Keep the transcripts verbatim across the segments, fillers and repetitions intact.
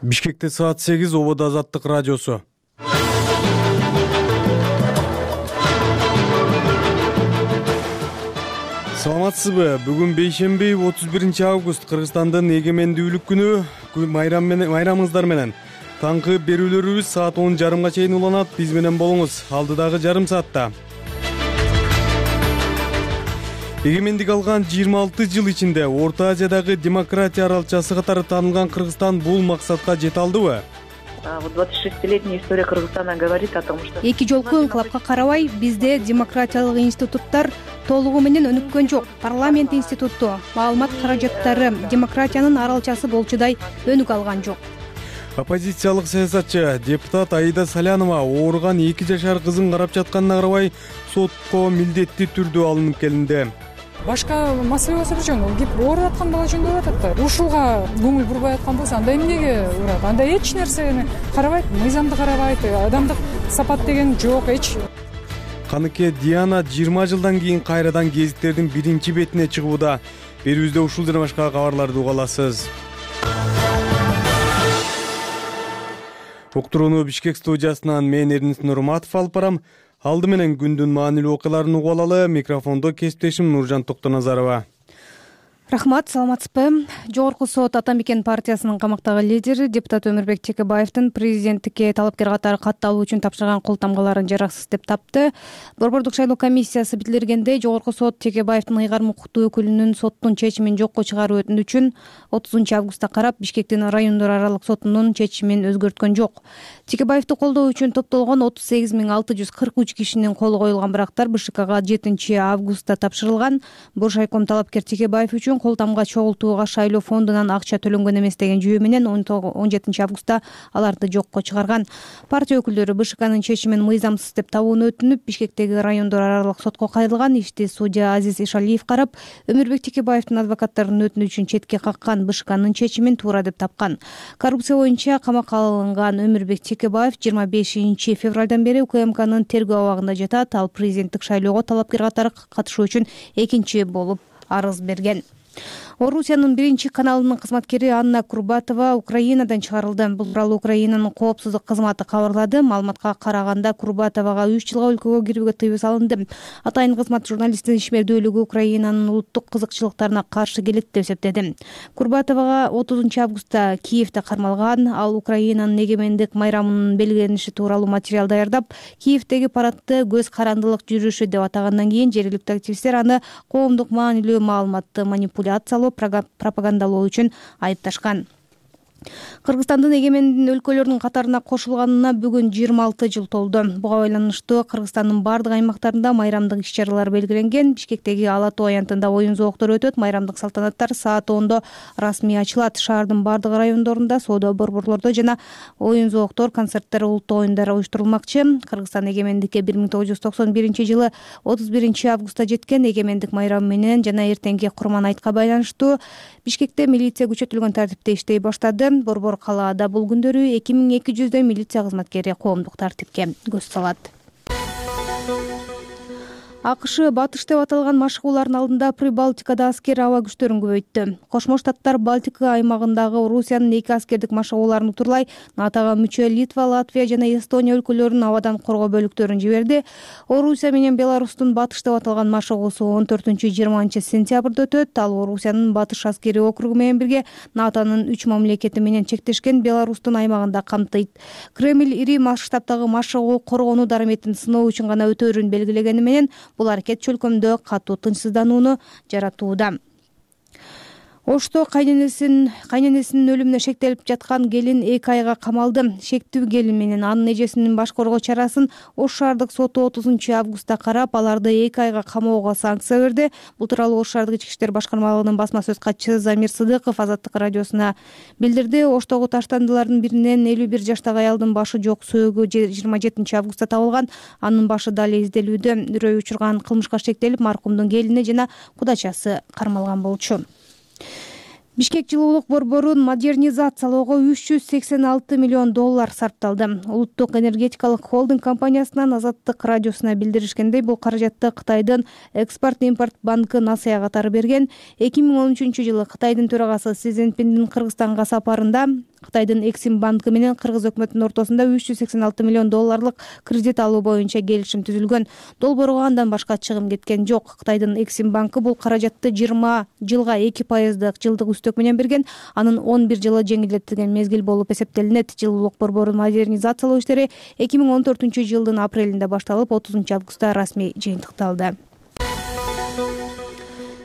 Бишкекте саат сегиз, Ободо Азаттык радиосу. Саламатсызбы? Бүгүн бейшемби, отуз биринчи август, Кыргызстандын эгемендүүлүк күнү. Майрам менен, майрамыңыздар менен. Таңкы берүүлөрүбүз саат он жарымга чейин уланат. Биз менен болуңуз. Алдыдагы жарым саатта. Эгемендик алган жыйырма алты жыл ичинде Орто Азиядагы демократия аралчасы катары таанылган Кыргызстан бул максатка жете алдыбы? двадцать шестилетняя история Кыргызстана говорит о том, что эки жолку инкылапка карабай бизде демократиялык институттар толугу менен өнүккөн жок. Парламент институту, маалымат каражаттары демократиянын аралчасы болчудай өнүк алган жок. Оппозициялык саясатчы депутат Аида Салянова ооруган эки жашар кызын карап жатканына карабай сотко милдеттүү түрдө алынып келинди. Башка маселе болсо бир жөн, кеп ооруп аткан бала жөнүндө атат да. Ушуга көңүл бурбай аткан болсо анда эмнеге урат? Анда эч нерсени карабайт, мыйзамды карабайт, адамдык сапат деген жок эч. Каныке Диана жыйырма жылдан кийин кайрадан гезиттердин биринчи бетине чыгууда. Берүүбүздө ушул жана башка кабарларды уга аласыз. Уктурууну Бишкек студиясынан мен Эрнис Нурматов алып барам. Алды менен күндүн маанилүү окуяларын угуп алалы. Микрофондо кесиптешим Нуржан Токтоназарова. Рахмат, саламатсызбы? Жогорку сот Атамекен партиясынын камактагы лидери депутат Өмүрбек Текебаевдин президенттикке талапкер катары кат алуу үчүн тапшырган кол тамгаларын жараксыз деп тапты. Борбордук шайлоо комиссиясы билдиргендей, жогорку сот Текебаевдин ыйгарым укуктуу өкүлүнүн соттун чечимин жокко чыгаруу өтүнүчүн отузунчу августта карап, Бишкектин райондор аралык сотунун чечимин өзгөрткөн жок. Текебаевди колдоо үчүн топтолгон отуз сегиз миң алты жүз кырк үч кишинин колу коюлган бирактар БШКга жетинчи августта тапшырылган. Боршайком талапкер Текебаев үчүн кол тамга чогултууга шайлоо фондунан акча төлөнгөн эмес деген жүйө менен он жетинчи августта аларды жокко чыгарган. Партия өкүлдөрү БШКнын чечимин мыйзамсыз деп табууну өтүнүп, Бишкектеги райондор аралык сотко кайрылган. Ишти судья Азиз Ишалиев карап, Өмүрбек Текебаевдин адвокаттарынын өтүнүчүн четке каккан, БШКнын чечимин туура деп тапкан. Коррупция боюнча камакка алынган Өмүрбек Текебаев жыйырма бешинчи февралдан бери УКМКнын тергөө абагында жатат. Ал президенттик шайлоого талапкер катары катышуу үчүн экинчи болуп арыз берген. Орусиянын биринчи каналынын кызматкери Анна Курбатова Украинадан чыгарылды. Бул тууралуу Украинанын коопсуздук кызматы кабарлады. Маалыматка караганда, Курбатовага үч жылга өлкөгө кирүүгө тыюу салынды. Атайын кызмат журналисттин ишмердүүлүгү Украинанын улуттук кызыкчылыктарына каршы келет деп эсептеди. Курбатовага отузунчу августта Киевде кармалган. Ал Украинанын эгемендик майрамынын белгилениши тууралуу материал даярдап, Киевдеги парадты көз карандылык жүрүшү деп атагандан кийин жергиликтүү активисттер аны коомдук маанилүү маалыматты манипуляциялоо, пропагандалоо үчүн айыпташкан. Кыргызстандын эгемендин өлкөлөрүнүн катарына кошулганына бүгүн жыйырма алты жыл толду. Буга байланыштуу Кыргызстандын бардык аймактарында майрамдык иш-чаралар белгиленген. Бишкектеги Ала Тоо аянтында оюн зооктору өтөт. Майрамдык салтанаттар саат ондо расмий ачылат. Шаардын бардык райондорунда соода борборлордо жана оюн зооктор, концерттер, улуттук оюндар уюштурулмакчы. Кыргызстан эгемендикке бир миң тогуз жүз токсон биринчи жылы отуз биринчи августта жеткен. Эгемендик майрамы менен жана эртеңки Курман айтка байланыштуу Бишкекте милиция күчөтүлгөн тартипте иштей баштады. Борбор калаада бул күндөрү эки миң эки жүздөй милиция кызматкери коомдук тартипке көз салат. АКШ батыш деп аталган машыгуулардын алдында Прибалтикада аскер аба күчтөрүн көбөйттү. Кошмо Штаттар Балтика аймагындагы Орусиянын эки аскердик машыгууларын утурлай НАТОга мүчө Литва, Латвия жана Эстония өлкөлөрүнүн абадан коргоо бөлүктөрүн жиберди. Орусия менен Беларустун батыш деп аталган машыгуусу он төртүнчү жыйырманчы сентябрда өтөт. Ал Орусиянын батыш аскери округу менен бирге НАТОнун үч мамлекети менен чектешкен Беларустун аймагында камтыйт. Кремль ири масштабтагы машыгуу коргонуу дараметин сыноо үчүн гана өтөөрүн белгилегени менен бул аракет чөлкөмдө катуу тынчсызданууну жаратууда. Ошто кайненесин кайненесинин өлүмүнө шектелип жаткан келин эки айга камалды. Шектүү келин менен анын эжесинин баш коргоо чарасын Ош шаардык соту отузунчу августта карап, аларды эки айга камоого санкция берди. Бул тууралуу Ош шаардык ички иштер башкармалыгынын басма сөз катчысы Замир Сыдыков Азаттык радиосуна билдирди. Оштогу таштандылардын биринен элүү бир жаштагы аялдын башы жок сөөгү жыйырма жетинчи августта табылган. Анын башы дали изделүүдө. Үрөй учурган кылмышка шектелип, маркумдун келини жана кудачасы кармалган болчу. Бишкек жылуулук борборун модернизациялоого үч жүз сексен алты миллион доллар сарпталды. Улуттук энергетикалык холдинг компаниясынан Азаттык радиосуна билдиришкендей, бул каражатты Кытайдын экспорт-импорт банкы Насыя катары берген. эки миң он үчүнчү жылы Кытайдын төрагасы Си Цзиньпиндин Кыргызстанга сапарында Кытайдын Эксим банкы менен кыргыз өкмөтүнүн ортосунда үч жүз сексен алты миллион долларлык кредит алуу боюнча келишим түзүлгөн. Долбоорго андан башка чыгым кеткен жок. Кытайдын Эксим банкы бул каражатты жыйырма жылга эки пайыздык жылдык үстөк менен берген. Анын он бир жылы жеңилдетилген мезгил болуп эсептелинет. Жылуулук борборун модернизациялоо иштери эки миң он төртүнчү жылдын апрелинде башталып, отузунчу августта расмий жыйынтыкталды.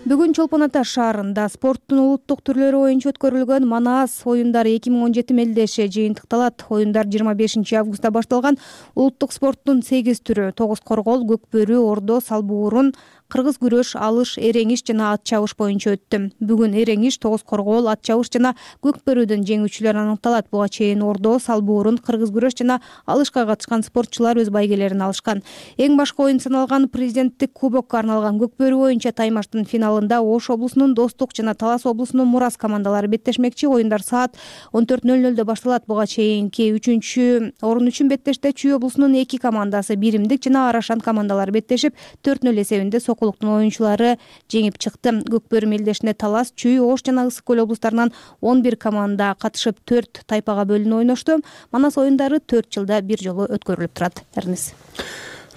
Бүгүн Чолпон Ата шаарында спорттун улуттук түрлөрү боюнча өткөрүлгөн Манас оюндары эки миң он жети мелдеши жыйынтыкталат. Оюндар жыйырма бешинчи августта башталган. Улуттук спорттун сегиз түрү — тогуз коргол, көк бөрү, ордо, салбуурун, кыргыз күрөш, алыш, эреңиш жана ат чабыш боюнча өттү. Бүгүн эреңиш, тогуз коргол, ат чабыш жана көк бөрүдөн жеңүүчүлөр аныкталат. Буга чейин ордо, салбуурун, кыргыз күрөш жана алышка катышкан спортчулар өз байгелерин алышкан. Эң башкы оюн саналган президенттик кубокко арналган көк бөрү боюнча таймаштын финалында Ош облусунун Достук жана Талас облусунун Мурас командалары беттешмекчи. Оюндар саат он төрт ноль нолдо башталат. Буга чейинки үчүнчү орун үчүн беттеште Чүй облусунун эки командасы Биримдик жана Арашан командалары беттешип, төрт ноль эсебинде Сокулуктун оюнчулары жеңип чыкты. Көк бөрү мелдешине Талас, Чүй, Ош жана Ысык көл облустарынан он бир команда катышып, төрт тайпага бөлүнүп ойношту. Манас оюндары төрт жылда бир жолу өткөрүлүп турат. Эрнис.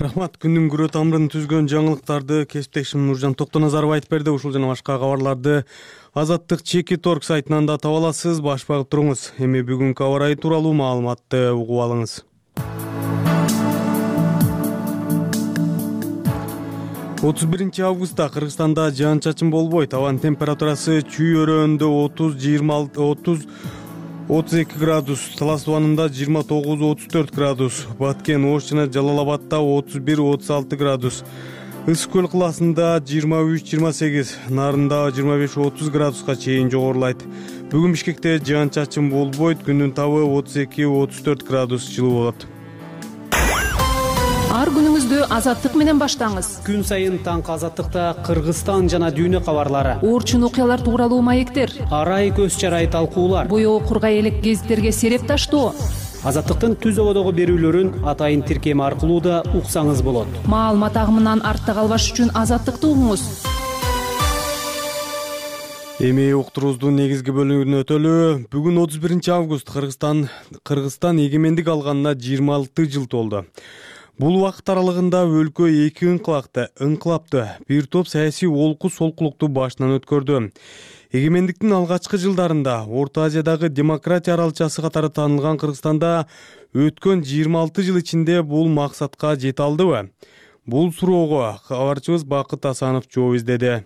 Рахмат. Күндүн күрө тамырын түзгөн жаңылыктарды кесиптешим Нуржан Токтоназаров айтып берди. Ушул жана башка кабарларды Азаттык Чеки Торг сайтынан да таба аласыз. Баш багып туруңуз. Эми бүгүнкү аба ырайы тууралуу маалыматты угуп алыңыз. отуз биринчи августта Кыргызстанда жаан-чачын болбойт. Абанын температурасы Чүй өрөөндө отуз жыйырма алты отуз отуз эки градус, Талас тубанында жыйырма тогуз отуз төрт градус, Баткен, Ош жана Жалал Абадта отуз бир отуз алты градус, Ысык көл кылаасында жыйырма үч жыйырма сегиз, Нарында жыйырма беш отуз градуска чейин жогорулайт. Бүгүн Бишкекте жаан-чачын болбойт. Күндүн табы отуз эки отуз төрт градус жылуу болот. Ар күнүңүздү азаттык менен баштаңыз. Күн сайын таңкы азаттыкта Кыргызстан жана дүйнө кабарлары, Орчун окуялар тууралуу маектер, арай көз чарай талкуулар, боёо кургай элек гезиттерге сереп таштоо. Азаттыктын түз ободогу берүүлөрүн атайын тиркем аркылуу да уксаңыз болот. Маалымат агымынан артта калбаш үчүн азаттыкты угуңуз. Эми уктуруубуздун негизги бөлүгүнө өтөлү. Бүгүн отуз биринчи август Кыргызстан Кыргызстан эгемендик алганына жыйырма алты жыл толду. Бул убакыт аралыгында өлкө эки ыңкылакты, ыңкылапты, бир топ саясий олку солкулукту башынан өткөрдү. Эгемендиктин алгачкы жылдарында Орто Азиядагы демократия аралчасы катары таанылган Кыргызстанда өткөн жыйырма алты жыл ичинде бул максатка жете алдыбы? Бул суроого кабарчыбыз Бакыт Асанов жооп издеди.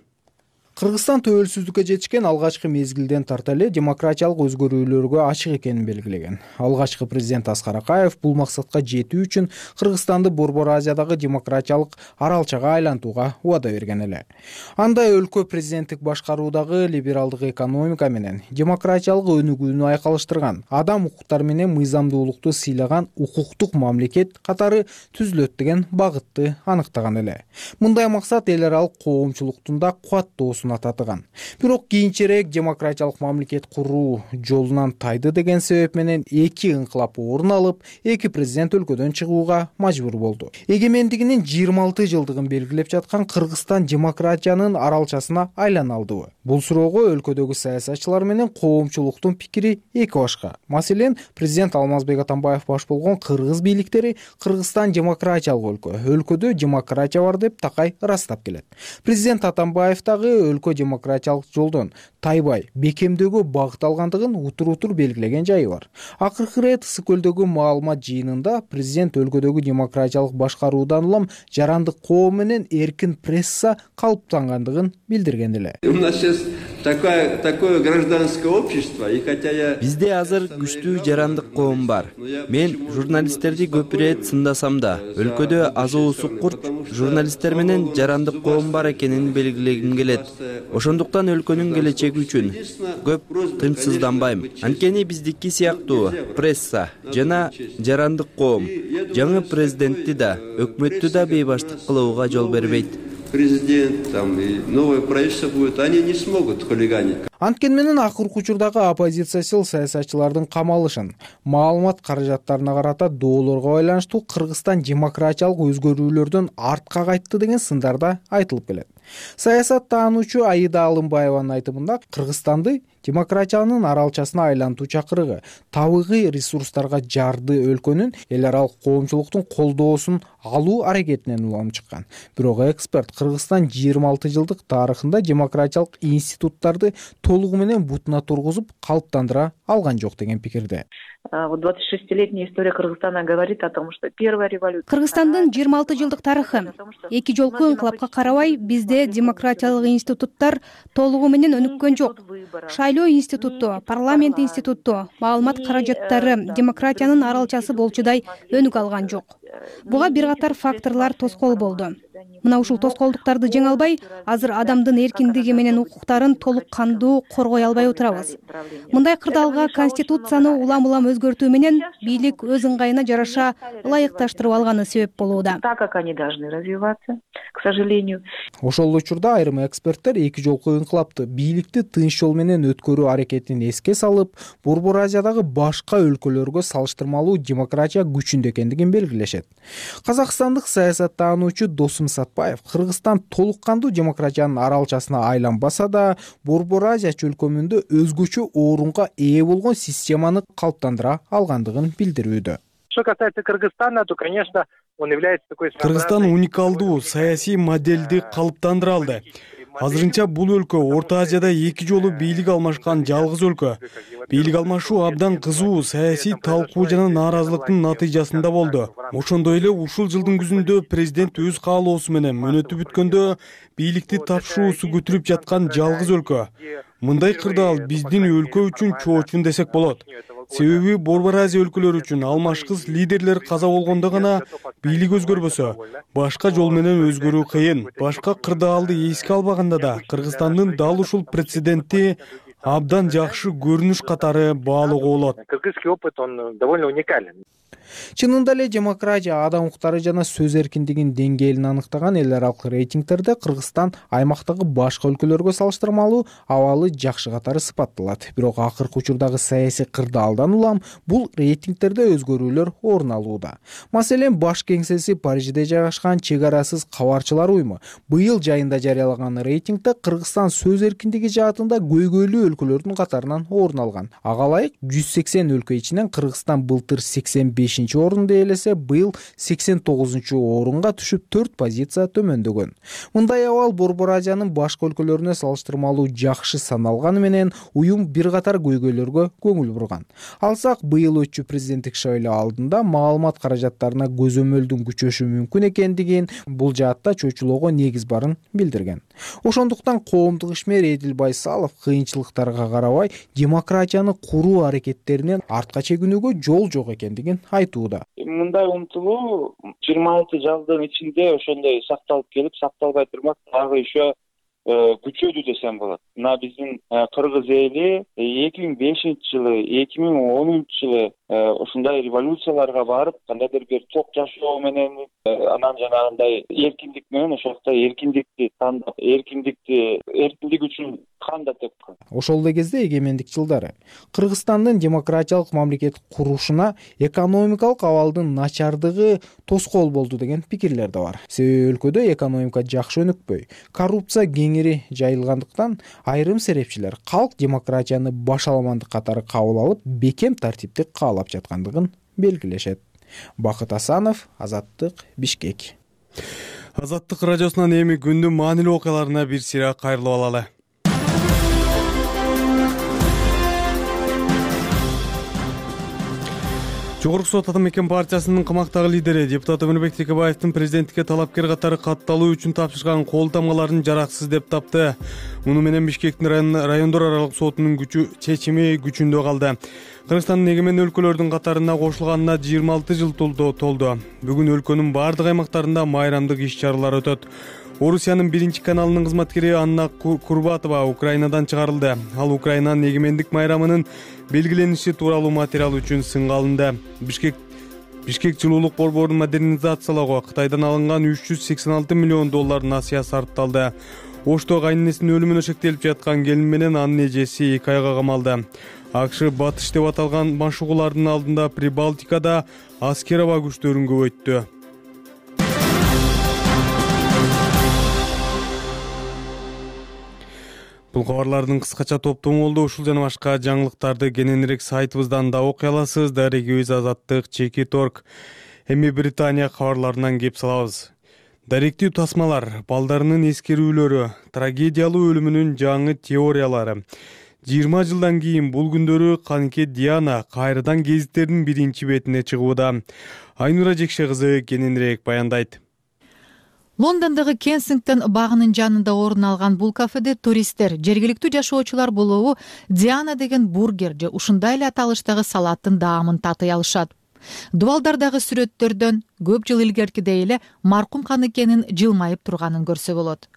Кыргызстан төбөлсүздүккө жетишкен алгачкы мезгилден тарта эле демократиялык өзгөрүүлөргө ачык экенин белгилеген. Алгачкы президент Аскар Акаев бул максатка жетүү үчүн Кыргызстанды Борбор Азиядагы демократиялык аралчага айлантууга убада берген эле. Анда өлкө президенттик башкаруудагы либералдык экономика менен демократиялык өнүгүүнү айкалыштырган, адам укуктары менен мыйзамдуулукту сыйлаган укуктук мамлекет катары түзүлөт деген багытты аныктаган эле. Мындай максат эл аралык коомчулуктун да кубаттоосун ататыган. Бирок кийинчерээк демократиялык мамлекет куруу жолунан тайды деген себеп менен эки ыңкылап орун алып, эки президент өлкөдөн чыгууга мажбур болду. Эгемендигинин жыйырма алты жылдыгын белгилеп жаткан Кыргызстан демократиянын аралчасына айлана алдыбы? Бул суроого өлкөдөгү саясатчылар менен коомчулуктун пикири эки башка. Маселен, президент Алмазбек Атамбаев баш болгон кыргыз бийликтери Кыргызстан демократиялык өлкө, өлкөдө демократия бар деп такай ырастап келет. Президент Атамбаев дагы өлкө демократиялык жолдон тайбай, бекемдөөгө багыт алгандыгын утур-утур белгилеген жайы бар. Акыркы ирет Ысык көлдөгү маалымат жыйынында президент өлкөдөгү демократиялык башкаруудан улам жарандык коом менен эркин пресса калыптангандыгын билдирген эле. У нас сейчас такое такое гражданское общество, и хотя я Бизде азыр күчтүү жарандык коом бар. Мен журналисттерди көп ирет сындасам да, өлкөдө азуу суккурт журналисттер менен жарандык коом бар экенин белгилегим келет. Ошондуктан өлкөнүн келечеги үчүн көп тынчсызданбайм. Анткени биздики сыяктуу пресса жана жарандык коом жаңы президентти да, өкмөттү да бейбаштык кылууга жол бербейт. Президент там и новое правительство будет, они не смогут хулиганить. Анткени менен акыркы учурдагы оппозициячыл саясатчылардын камалышын, маалымат каражаттарына карата доолорго байланыштуу Кыргызстан демократиялык өзгөрүүлөрдөн артка кайтты деген сындар да айтылып келет. Саясат таануучу Аида Алымбаеванын айтымында Кыргызстанды демократиянын аралчасына айлантуу чакырыгы табигый ресурстарга жарды өлкөнүн эл аралык коомчулуктун колдоосун алуу аракетинен улам чыккан. Бирок эксперт Кыргызстан жыйырма алты жылдык тарыхында демократиялык институттарды толугу менен бутуна тургузуп калыптандыра алган жок деген пикирде. Вот двадцатишестилетняя история Кыргызстана говорит о том, что первая революция. Кыргызстандын жыйырма алты жылдык тарыхы эки жолку инкылапка карабай бизде демократиялык институттар толугу менен өнүккөн жок. Шайлоо институту, парламент институту, маалымат каражаттары демократиянын аралчасы болчудай өнүк алган жок. Буга бир катар факторлор тоскоол болду. Мына ушул тоскоолдуктарды жеңе албай, азыр адамдын эркиндиги менен укуктарын толук кандуу коргой албай отурабыз. Мындай кырдаалга конституцияны улам-улам өзгөртүү менен бийлик өз ыңгайына жараша ылайыкташтырып алганы себеп болууда. Так как они должны развиваться, к сожалению. Ошол учурда айрым эксперттер эки жолку инкылапты бийликти тынч жол менен өткөрүү аракетин эске салып, Борбор Азиядагы башка өлкөлөргө салыштырмалуу демократия күчүндө экендигин белгилешет. Казакстандык саясаттануучу Досум Сатпаев Кыргызстан толук кандуу демократиянын аралчасына айланбаса да, Борбор Азия чөлкөмүндө өзгөчө орунга ээ болгон системаны калыптандыра алгандыгын билдирүүдө. Что касается Кыргызстана, то, конечно, он является такой... Кыргызстан уникалдуу саясий моделди калыптандыра алды. Азырынча бул өлкө Орто Азияда эки жолу бийлик алмашкан жалгыз өлкө. Бийлик алмашуу абдан кызуу саясий талкуу жана нааразылыктын натыйжасында болду. Ошондой эле ушул жылдын күзүндө президент өз каалоосу менен мөөнөтү бүткөндө бийликти тапшыруусу күтүлүп жаткан жалгыз өлкө. Мындай кырдаал биздин өлкө үчүн чоочун десек болот. Себеби Борбор Азия өлкөлөрү үчүн алмашкыс лидерлер каза болгондо гана бийлик өзгөрбөсө, башка жол менен өзгөрүү кыйын. Башка кырдаалды эске албаганда да Кыргызстандын дал ушул прецеденти абдан жакшы көрүнүш катары баалоого болот. Кыргызский опыт, он довольно уникален. Чынында эле демократия, адам укуктары жана сөз эркиндигинин деңгээлин аныктаган эл аралык рейтингтерде Кыргызстан аймактагы башка өлкөлөргө салыштырмалуу абалы жакшы катары сыпатталат. Бирок акыркы учурдагы саясий кырдаалдан улам бул рейтингтерде өзгөрүүлөр орун алууда. Маселен, баш кеңсеси Парижде жайгашкан Чек арасыз кабарчылар уюму быйыл жайында жарыялаган рейтингде Кыргызстан сөз эркиндиги жаатында көйгөйлүү өлкөлөрдүн катарынан орун алган. Ага ылайык жүз сексен өлкө ичинен Кыргызстан былтыр сексен бешинчи орунду ээлесе, быйыл сексен тогузунчу орунга түшүп төрт позиция төмөндөгөн. Мындай абал Борбор Азиянын башка өлкөлөрүнө салыштырмалуу жакшы саналганы менен уюм бир катар көйгөйлөргө көңүл бурган. Алсак, быйыл өтчү президенттик шайлоо алдында маалымат каражаттарына көзөмөлдүн күчөшү мүмкүн экендигин, бул жаатта чочулоого негиз барын билдирген. Ошондуктан коомдук ишмер Эдил Байсалов кыйынчылыктарга карабай демократияны куруу аракеттеринен артка чегинүүгө жол жок экендигин айтууда. Мындай умтулуу жыйырма алты жылдын ичинде ошондой сакталып келип, сакталбай турмак дагы еще күчөдү десем болот. Мына биздин кыргыз эли эки миң бешинчи жылы, эки миң онунчу жылы ушундай революцияларга барып, кандайдыр бир ток жашоо менен, анан жанагындай эркиндик менен ошондо эркиндикти тандап, эркиндикти эркиндик үчүн канда тепкен. Ошол эле кезде эгемендик жылдары Кыргызстандын демократиялык мамлекет курушуна экономикалык абалдын начардыгы тоскоол болду деген пикирлер да бар. Себеби өлкөдө экономика жакшы өнүкпөй, коррупция кеңири жайылгандыктан айрым серепчилер калк демократияны башаламандык катары кабыл алып, бекем тартипти каалап жаткандыгын белгилешет. Бакыт Асанов, Азаттык, Бишкек. Азаттык радиосунан эми күндүн маанилүү окуяларына бир сыйра кайрылып алалы. Жогорку сот Ата мекен партиясынын камактагы лидери депутат Өмүрбек Текебаевдин президенттикке талапкер катары катталуу үчүн тапшырган кол тамгаларын жараксыз деп тапты. Муну менен Бишкектин райондор аралык сотунун күчү чечими күчүндө калды. Кыргызстандын эгемен өлкөлөрдүн катарына кошулганына жыйырма алты жыл толду. Бүгүн өлкөнүн бардык аймактарында майрамдык иш-чаралар өтөт. Орусиянын биринчи каналынын кызматкери Анна Курбатова Украинадан чыгарылды. Ал Украинанын эгемендик майрамынын белгилениши тууралуу материал үчүн сынга алынды. Бишкек Бишкек жылуулук борборун модернизациялоого Кытайдан алынган үч жүз сексен алты миллион доллар насыя сарпталды. Ошто кайненесинин өлүмүнө шектелип жаткан келин менен анын эжеси эки айга камалды. АКШ батыш деп аталган машыгуулардын алдында Прибалтикада аскер аба күчтөрүн көбөйттү. Бул кабарлардын кыскача топтому болду. Ушул жана башка жаңылыктарды кененирээк сайтыбыздан да окуй аласыз. Дарегибиз Азаттык, Чекит точка орг. Эми Британия кабарларынан кеп салабыз. Даректүү тасмалар, балдарынын эскерүүлөрү, трагедиялуу өлүмүнүн жаңы теориялары. жыйырма жылдан кийин бул күндөрү Канке Диана кайрадан гезиттердин биринчи бетине чыгууда. Айнура Жекше кызы кененирээк баяндайт. Лондондогу Кенсингтон багынын жанында орун алган бул кафеде туристтер, жергиликтүү жашоочулар болобу Диана деген бургер же ушундай эле аталыштагы салаттын даамын татый алышат. Дубалдардагы сүрөттөрдөн көп жыл илгеркидей эле маркум Каныкенин жылмайып турганын көрсө болот.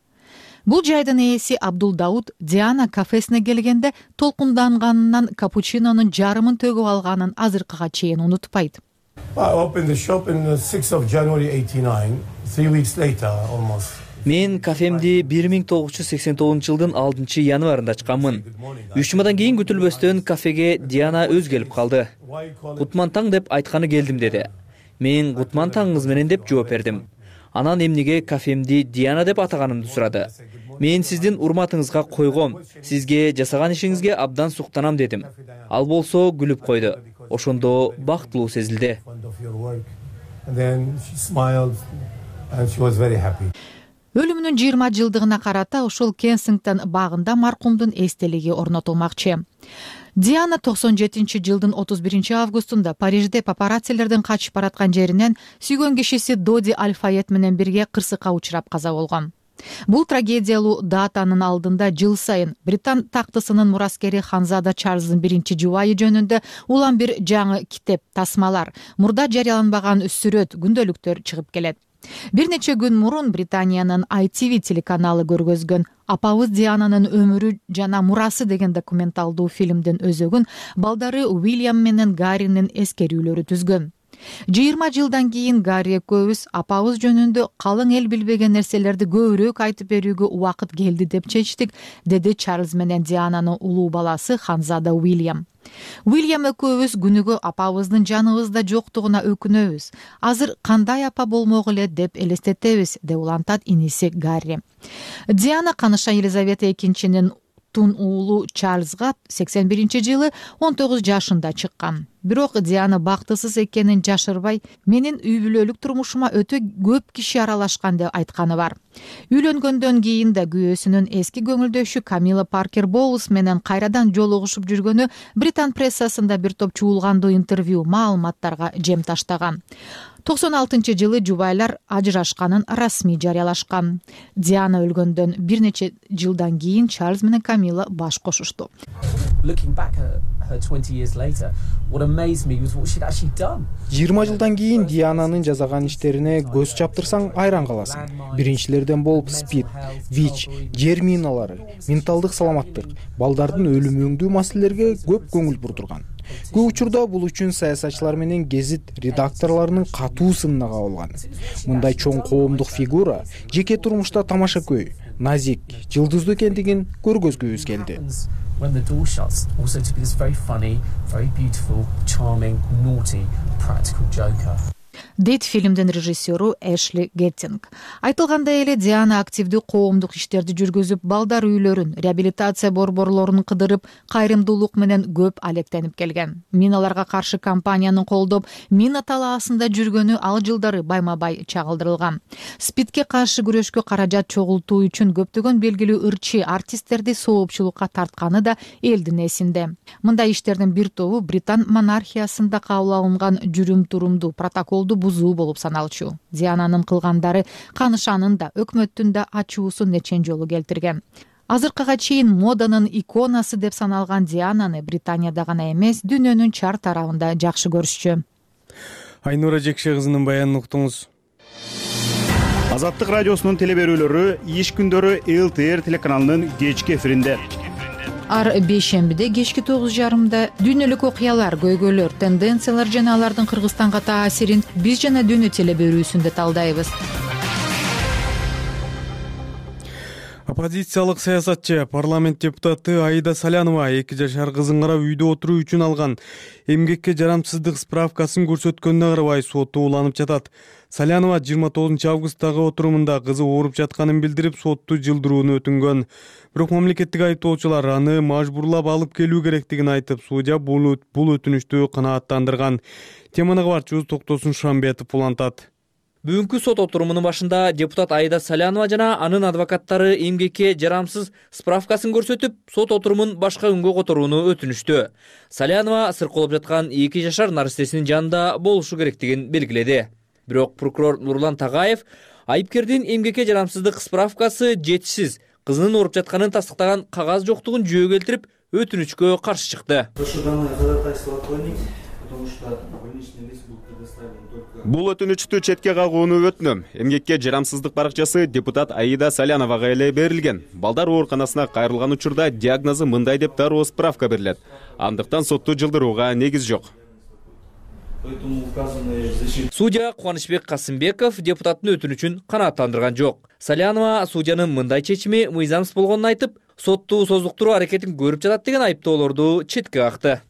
Бул жайдын ээси Абдул Дауд Диана кафесине келгенде толкунданганынан капучинонун жарымын төгүп алганын азыркыга чейин унутпайт. Мен кафемди бир миң тогуз жүз сексен тогузунчу жылдын алтынчы январында ачканмын. Үч жумадан кийин күтүлбөстөн кафеге Диана өз келип калды. Кутман таң деп айтканы келдим деди. Мен кутман таңыңыз менен деп жооп бердим. Анан эмнеге кафемди Диана деп атаганымды сурады. Мен сиздин урматыңызга койгом, сизге жасаган ишиңизге абдан суктанам дедим. Ал болсо күлүп койду. Ошондо бактылуу сезилди. Өлүмүнүн жыйырма жылдыгына карата ошол Кенсингтон багында маркумдун эстелиги орнотулмакчы. Диана токсон жетинчи жылдын отуз биринчи августунда Парижде папараццилердин качып бараткан жеринен сүйгөн кишиси Доди Аль-Файет менен бирге кырсыкка учурап каза болгон. Бул трагедиялуу датанын алдында жыл сайын Британ тактысынын мураскери Ханзада Чарльздын биринчи жубайы жөнүндө улам бир жаңы китеп, тасмалар, мурда жарыяланбаган сүрөт, күндөлүктөр чыгып келет. Бир нече күн мурун Британиянын ай ти ви телеканалы көргөзгөн Апабыз Диананын өмүрү жана мурасы деген документалдуу фильмдин өзөгүн балдары Уильям менен Гарринин эскерүүлөрү түзгөн. жыйырма жылдан кийин Гарри экөөбүз апабыз жөнүндө калың эл билбеген нерселерди көбүрөөк айтып берүүгө убакыт келди деп чечтик, деди Чарльз менен Диананын улуу баласы Ханзада Уильям. Уильям экөөбүз күнүгө апабыздын жаныбызда жоктугуна өкүнөбүз. Азыр кандай апа болмок эле деп элестетебиз, деп улантат иниси Гарри. Диана каныша Елизавета экинчинин тун уулу Чарльзга сексен биринчи жылы он тогуз жашында чыккан. Бирок Диана бактысыз экенин жашырбай, менин үй бүлөлүк турмушума өтө көп киши аралашкан деп айтканы бар. Үйлөнгөндөн кийин да күйөөсүнүн эски көңүлдөшү Камила Паркер Боулс менен кайрадан жолугушуп жүргөнү Британ прессасында бир топ чуулгандуу интервью, маалыматтарга жем таштаган. токсон алтынчы жылы жубайлар ажырашканын расмий жарыялашкан. Диана өлгөндөн бир нече жылдан кийин Чарльз менен Камила баш кошушту. жыйырма жылдан кийин Диананын жасаган иштерине көз чаптырсаң айран каласың. Биринчилерден болуп СПИД, ВИЧ, жер миналары, менталдык саламаттык, балдардын өлүмү өңдүү маселелерге көп көңүл бурдурган. Көп учурда бул үчүн саясатчылар менен гезит редакторлорунун катуу сынына кабылган. Мындай чоң коомдук фигура жеке турмушта тамашакөй, назик, жылдыздуу экендигин көргөзгүбүз келди. When the door shuts, also to be this very funny, very beautiful, charming, naughty, practical joker. Дейт фильмдин режиссеру Эшли Геттинг. Айтылгандай эле Диана активдүү коомдук иштерди жүргүзүп, балдар үйлөрүн, реабилитация борборлорун кыдырып, кайрымдуулук менен көп алектенип келген. Миналарга каршы кампанияны колдоп, мина талаасында жүргөнү ал жылдары байма-бай чагылдырылган. СПИДке каршы күрөшкө каражат чогултуу үчүн көптөгөн белгилүү ырчы артисттерди соопчулукка тартканы да элдин эсинде. Мындай иштердин бир тобу Британ монархиясында кабыл алынган жүрүм-турумду, протоколду бузуу болуп саналчу. Диананын кылгандары канышанын да, өкмөттүн да ачуусун нечен жолу келтирген. Азыркыга чейин моданын иконасы деп саналган Диананы Британияда гана эмес, дүйнөнүн чар тарабында жакшы көрүшчү. Айнура Жекше кызынын баянын уктуңуз. Азаттык радиосунун телеберүүлөрү иш күндөрү эл ти эр телеканалынын кечки эфиринде. Ар бейшембиде кечки тогуз жарымда дүйнөлүк окуялар, көйгөйлөр, тенденциялар жана алардын Кыргызстанга таасирин биз жана дүйнө телеберүүсүндө талдайбыз. Оппозициялык саясатчы, парламент депутаты Аида Салянова эки жашар кызын карап үйдө отуруу үчүн алган эмгекке жарамсыздык справкасын көрсөткөнүнө карабай сотто уланып жатат. Салянова жыйырма тогузунчу августтагы отурумунда кызы ооруп жатканын билдирип, сотту жылдырууну өтүнгөн. Бирок мамлекеттик айыптоочулар аны мажбурлап алып келүү керектигин айтып, судья бул өтүнүштү канааттандырган. Теманы кабарчыбыз Токтосун Шамбетов улантат. Бүгүнкү сот отурумунун башында депутат Аида Салянова жана анын адвокаттары эмгекке жарамсыз справкасын көрсөтүп, сот отурумун башка күнгө которууну өтүнүштү. Салянова сыркоолоп жаткан эки жашар наристесинин жанында болушу керектигин белгиледи. Бирок прокурор Нурлан Тагаев айыпкердин эмгекке жарамсыздык справкасы жетишсиз, кызынын ооруп жатканын тастыктаган кагаз жоктугун жөө келтирип, өтүнүчкө каршы чыкты. Бул өтүнүчтү четке кагууну өтүнөм. Эмгекке жарамсыздык баракчасы депутат Аида Саляновага эле берилген. Балдар ооруканасына кайрылган учурда диагнозу мындай деп дароо справка берилет. Андыктан сотту жылдырууга негиз жок. Судья Кубанычбек Касымбеков депутаттын өтүнүчүн канааттандырган жок. Салянова судьянын мындай чечими мыйзамсыз болгонун айтып, сотту созуктуруу аракетин көрүп жатат деген айыптоолорду четке какты.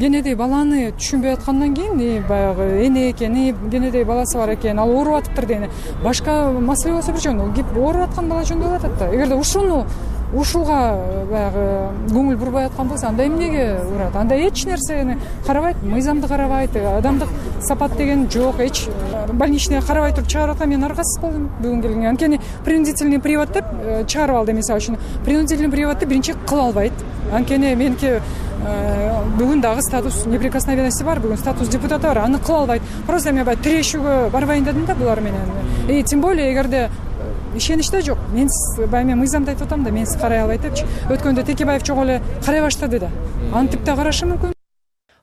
Кенедей баланы түшүнбөй аткандан кийин баягы эне экен, кенедей баласы бар экен, ал ооруп атыптыр деген башка маселе болсо бир жөн, ооруп аткан бала жөндөп атат да. Эгерде ушуну ушуга баягы көңүл бурбай аткан болсо, анда эмнеге урат? Анда эч нерсени карабайт, мыйзамды карабайт, адамдык сапат деген жок, эч больничный карабай туруп чыгарып аткан. Мен аргасыз болдум бүгүн келгенге. Анткени принудительный привод деп чыгарып алды, мисалы үчүн. Принудительный приводду биринчи кыла албайт. Анткени меники бүгүн дагы статус неприкосновенности бар, бүгүн статус депутата бар, аны кыла албайт. Просто мен баягы тирешүүгө барбайын дедим да булар менен. И тем более эгерде ишеничте жок. Мен баягы мен мыйзамды айтып атам да, мен карай албайт депчи. Өткөндө Текебаев чогуу эле карай баштады да. Антип да карашы мүмкүн.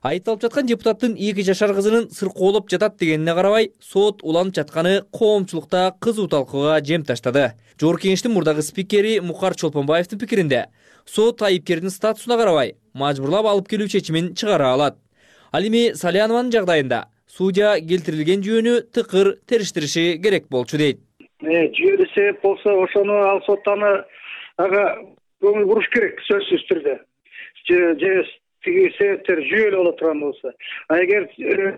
Айыпталып жаткан депутаттын эки жашар кызынын сыркоолоп жатат дегенине карабай, сот уланып жатканы коомчулукта кызуу талкууга жем таштады. Жогорку кеңештин мурдагы спикери Мукар Чолпонбаевдин пикиринде, сот айыпкердин статусуна карабай мажбурлап алып келүү чечимин чыгара алат. Ал эми Салянованын жагдайында судья келтирилген жүйөнү тыкыр териштириши керек болчу дейт. Жүйөлүү себеп болсо, ошону ал соттаны ага көңүл буруш керек, сөзсүз түрдө. Же тиги себептер жүйөлүү боло турган болсо, а эгер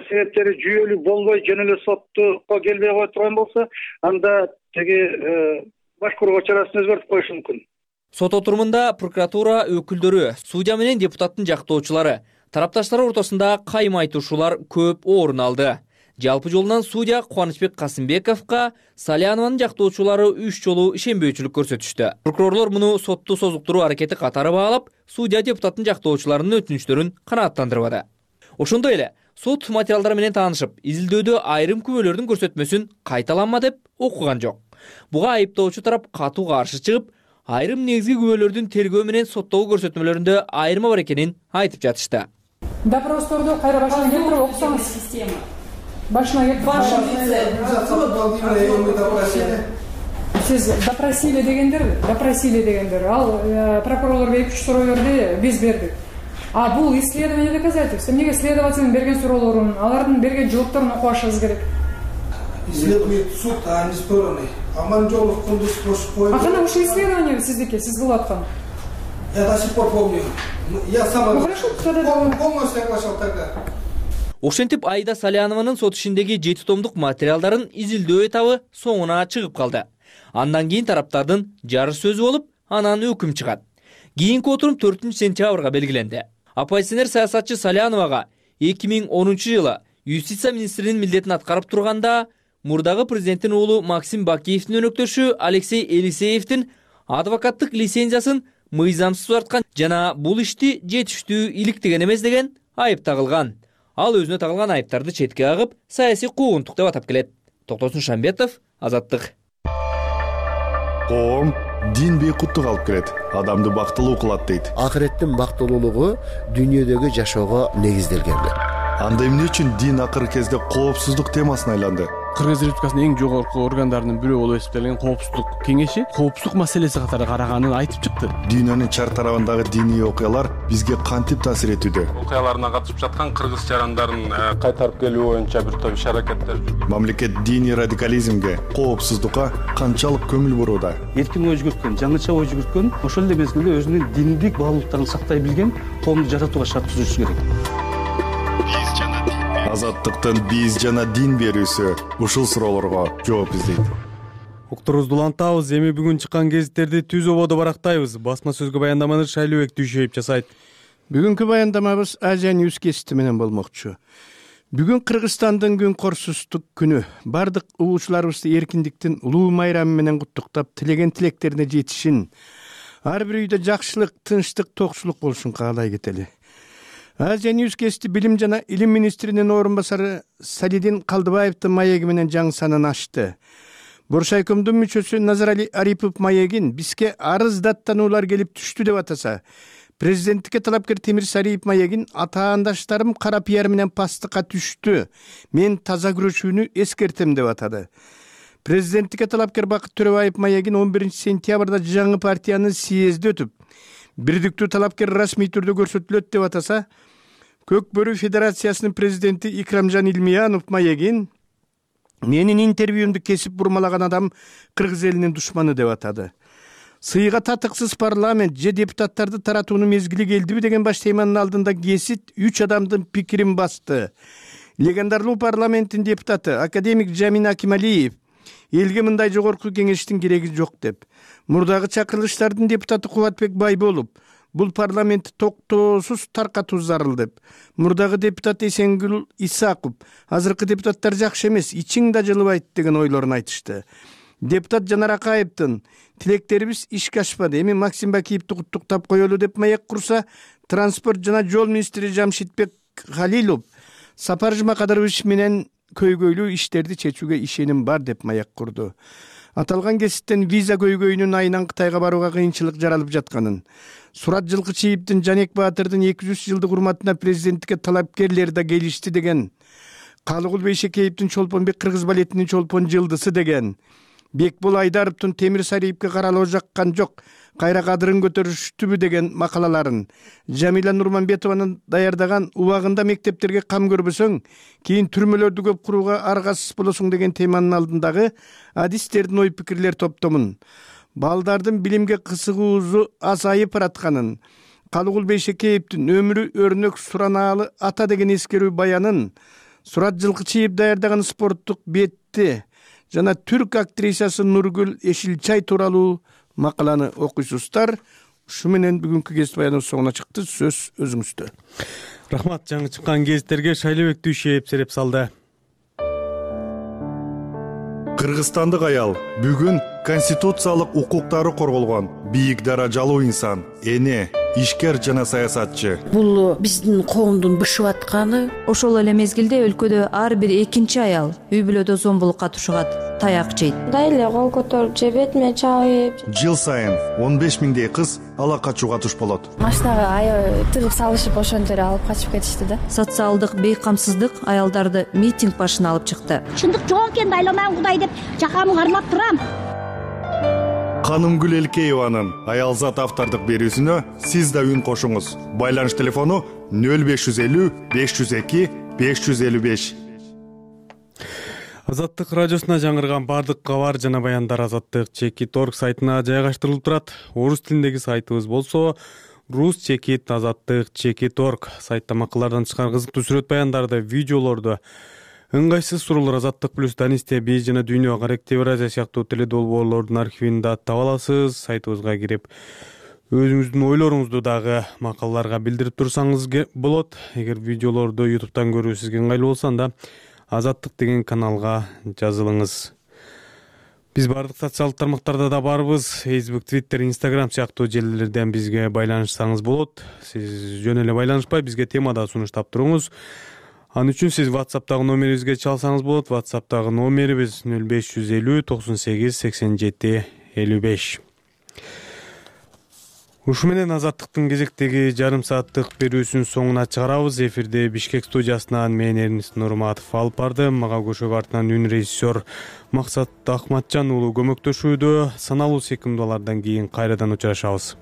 себептери жүйөлүү болбой жөн эле соттукка келбей кое турган болсо, анда тиги башкарууга чарасын өзгөртүп коюшу мүмкүн. Сот отурумунда прокуратура өкүлдөрү, судья менен депутаттын жактоочулары, тарапташтар ортосунда кайма айтышуулар көп орун алды. Жалпы жолунан судья Кубанычбек Касымбековго Салянованын жактоочулары үч жолу ишенбөөчүлүк көрсөтүштү. Прокурорлор муну сотту созуктуруу аракети катары баалап, судья депутаттын жактоочуларынын өтүнүчтөрүн канааттандырбады. Ошондой эле сот материалдары менен таанышып, изилдөөдө айрым күбөлөрдүн көрсөтмөсүн кайталанма деп окуган жок. Буга айыптоочу тарап катуу каршы чыгып, айрым негизги күбөлөрдүн тергөө менен соттогу көрсөтмөлөрүндө айырма бар экенин айтып жатышты. Допросторду кайра баштан келтирип окусаңыз. Башына Сиз допросили дегендер, допросили дегендер. Ал прокурорлор эки үч суроо берди, биз бердик. А бул исследование доказательств. Эмнеге следователдин берген суроолорун, алардын берген жоопторун окубашыңыз керек? Исследование суд, а не стороны. Аманжолов, Кундуз, Кошкоев. А кана ушул исследование сиздики, сиз кылып аткан? Я до сих пор помню. Я сам полностью соглашал тогда. Ошентип Аида Салянованын сот ишиндеги жети томдук материалдарын изилдөө этабы соңуна чыгып калды. Андан кийин тараптардын жарыш сөзү болуп, анан өкүм чыгат. Кийинки отурум төртүнчү сентябрга белгиленди. Оппозиционер саясатчы Саляновага эки миң онунчу жылы юстиция министринин милдетин аткарып турганда мурдагы президенттин уулу Максим Бакиевдин өнөктөшү Алексей Елисеевдин адвокаттык лицензиясын мыйзамсыз тарткан жана бул ишти жетиштүү иликтеген эмес деген айып тагылган. Ал өзүнө тагылган айыптарды четке кагып, саясий куугунтук деп атап келет. Токтосун Шамбетов, Азаттык. Коом дин бейкуттук алып келет, адамды бактылуу кылат дейт. Акыреттин бактылуулугу дүйнөдөгү жашоого негизделген. Анда эмне үчүн дин акыркы кезде коопсуздук темасына айланды? Кыргыз Республикасынын эң жогорку органдарынын бирөө болуп эсептелген Коопсуздук кеңеши коопсуздук маселеси катары караганын айтып чыкты. Дүйнөнүн чар тарабындагы диний окуялар бизге кантип таасир этүүдө? Окуяларына катышып жаткан кыргыз жарандарын кайтарып келүү боюнча бир топ иш аракеттер жүрүп. Мамлекет диний радикализмге, коопсуздукка канчалык көңүл бурууда? Эркин ой жүгүрткөн, жаңыча ой жүгүрткөн, ошол эле мезгилде өзүнүн диндик баалуулуктарын сактай билген коомду жаратууга шарт түзүшү керек. Азаттыктын биз жана дин берүүсү ушул суроолорго жооп издейт. Уктурубузду улантабыз. Эми бүгүн чыккан гезиттерди түз ободо барактайбыз. Басма сөзгө баяндаманы Шайлыбек Дүйшөев жасайт. Бүгүнкү баяндамабыз Азия Ньюс гезити менен болмокчу. Бүгүн Кыргызстандын күн корсуздук күнү. Бардык угуучуларыбызды эркиндиктин улуу майрамы менен куттуктап, тилеген тилектерине жетишин, ар бир үйдө жакшылык, тынчтык, токчулук болушун каалай кетели. Азия Ньюс гезити билим жана илим министринин орун басары Салидин Калдыбаевдин маеги менен жаңы санын ачты. Боршайкомдун мүчөсү Назарали Арипов маегин бизге арыз даттануулар келип түштү деп атаса, президенттикке талапкер Темир Сариев маегин атаандаштарым кара пиар менен пастыкка түштү. Мен таза күрөшүүнү эскертем деп атады. Президенттикке талапкер Бакыт Төрөбаев маегин он биринчи сентябрда жаңы партиянын съезди өтүп, бирдиктүү талапкер расмий түрдө көрсөтүлөт деп атаса, Көк Бөрү Федерациясынын президенти Икрамжан Илмиянов маегин менин интервьюмду кесип бурмалаган адам кыргыз элинин душманы деп атады. Сыйга татыксыз парламент же депутаттарды таратуунун мезгили келдиби деген баш теманын алдында гезит үч адамдын пикирин басты. Легендарлуу парламенттин депутаты академик Жамин Акималиев элге мындай жогорку кеңештин кереги жок деп. Мурдагы чакырылыштардын депутаты Кубатбек Байболов бул парламентти токтоосуз таркатуу зарыл деп. Мурдагы депутат Эсенгүл Исаков азыркы депутаттар жакшы эмес, ичиң да жылыбайт деген ойлорун айтышты. Депутат Жанар Акаевдин тилектерибиз ишке ашпады, эми Максим Бакиевди куттуктап коелу деп маек курса, транспорт жана жол министри Жамшитбек Халилов Сапар Жумакадырович менен көйгөйлүү иштерди чечүүгө ишеним бар деп маек курду. Аталган гезиттен виза көйгөйүнүн айынан Кытайга барууга кыйынчылык жаралып жатканын, Сурат Жылкычиевдин Жанек Баатырдын эки жүз жылдык урматына президенттикке талапкерлер да келишти деген, Калыгул Бейшекеевдин Чолпонбек кыргыз балетинин Чолпон жылдысы деген, Бекбол Айдаровдун Темир Сариевке каралоо жаккан жок, кайра кадырын көтөрүштүбү деген макалаларын, Жамиля Нурманбетованын даярдаган убагында мектептерге кам көрбөсөң, кийин түрмөлөрдү көп курууга аргасыз болосуң деген теманын алдындагы адистердин ой пикирлер топтомун, балдардын билимге кызыгуусу азайып баратканын, Калыгул Бейшекеевдин өмүрү өрнөк суранаалы ата деген эскерүү баянын, Сурат Жылкычиев даярдаган спорттук бетти жана түрк актрисасы Нургүл Эшилчай тууралуу макаланы окуйсуздар. Ушу менен бүгүнкү гезит баяныбыз соңуна чыкты. Сөз өзүңүздө. Рахмат, жаңы чыккан гезиттерге Шайлыбек Дүйшөев сереп салды. Кыргызстандык аял бүгүн конституциялык укуктары корголгон бийик даражалуу инсан, эне, ишкер жана саясатчы. Бул биздин коомдун бышып атканы. Ошол эле мезгилде өлкөдө ар бир экинчи аял үй бүлөдө зомбулукка тушугат, таяк жейт. Мындай эле кол көтөрүп же бетиме чабып. Жыл сайын он беш миңдей кыз ала качууга туш болот. Машинага аябай тыгып салышып ошентип алып качып кетишти да. Социалдык бейкамсыздык аялдарды митинг башына алып чыкты. Чындык жок экенин айламан Кудай деп жакамы кармап турам. Канымгүл Элкееванын аялзат автордук берүүсүнө сиз да үн кошуңуз. Байланыш телефону нөл беш жүз элүү беш жүз эки беш жүз элүү беш. Азаттык радиосуна жаңырган бардык кабар жана баяндар Азаттык чекит точка орг сайтына жайгаштырылып турат. Орус тилиндеги сайтыбыз болсо рус чекит азаттык чекит точка орг. Сайтта макалалардан чыккан кызыктуу сүрөт баяндарды, видеолорду, ыңгайсыз суроолор Азаттык плюс Данисте, биз жана Дүйнө, Карактев Евразия сыяктуу теледолбоорлордун архивин да таба аласыз. Сайтыбызга кирип өзүңүздүн ойлоруңузду дагы макалаларга билдирип турсаңыз болот. Эгер видеолорду ютубтан көрүү сизге ыңгайлуу болсо, анда Азаттык деген каналга жазылыңыз. Биз бардык социалдык тармактарда да барбыз. Facebook, Twitter, Instagram сыяктуу желилерден бизге байланышсаңыз болот. Сиз жөн эле байланышпай бизге тема да сунуштап туруңуз. Ан үчүн сиз WhatsApp'тагы номерибизге чалсаңыз болот. WhatsApp'тагы номерибиз нөл беш жүз элүү токсон сегиз сексен жети элүү беш. Ушу менен Азаттыктын кезектеги жарым сааттык берүүсүнүн соңуна чыгарабыз. Эфирде Бишкек студиясынан мен Эрнис Нурматов алып бардым. Мага көшөк артынан үн режиссер Максат Ахматжан уулу көмөктөшүүдө. Саналуу секундалардан кийин кайрадан учурашабыз.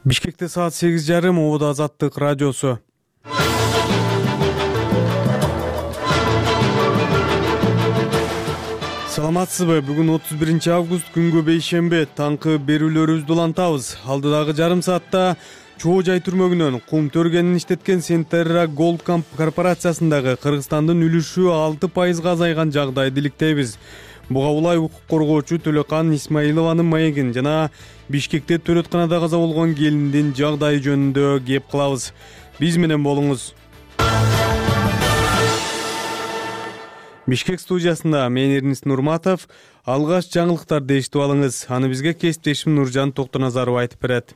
Бишкекте саат сегиз жарым, Ободо Азаттык радиосу. Саламатсызбы? Бүгүн отуз биринчи август, күнгө бейшембе. Таңкы берүүлөрүбүздү улантабыз. Алдыдагы жарым саатта Чоо жай түрмөгүнөн кум төргенин иштеткен Сентерра Голд корпорациясындагы Кыргызстандын үлүшү алты пайызга азайган жагдайды иликтейбиз. Буга улай укук коргоочу Төлөкан Исмаилованын маегин жана Бишкекте төрөтканада каза болгон келиндин жагдайы жөнүндө кеп кылабыз. Биз менен болуңуз. Бишкек студиясында мен Эрнис Нурматов. Алгаш жаңылыктарды эшитип алыңыз. Аны бизге кесиптешим Нуржан Токтоназарова айтып берет.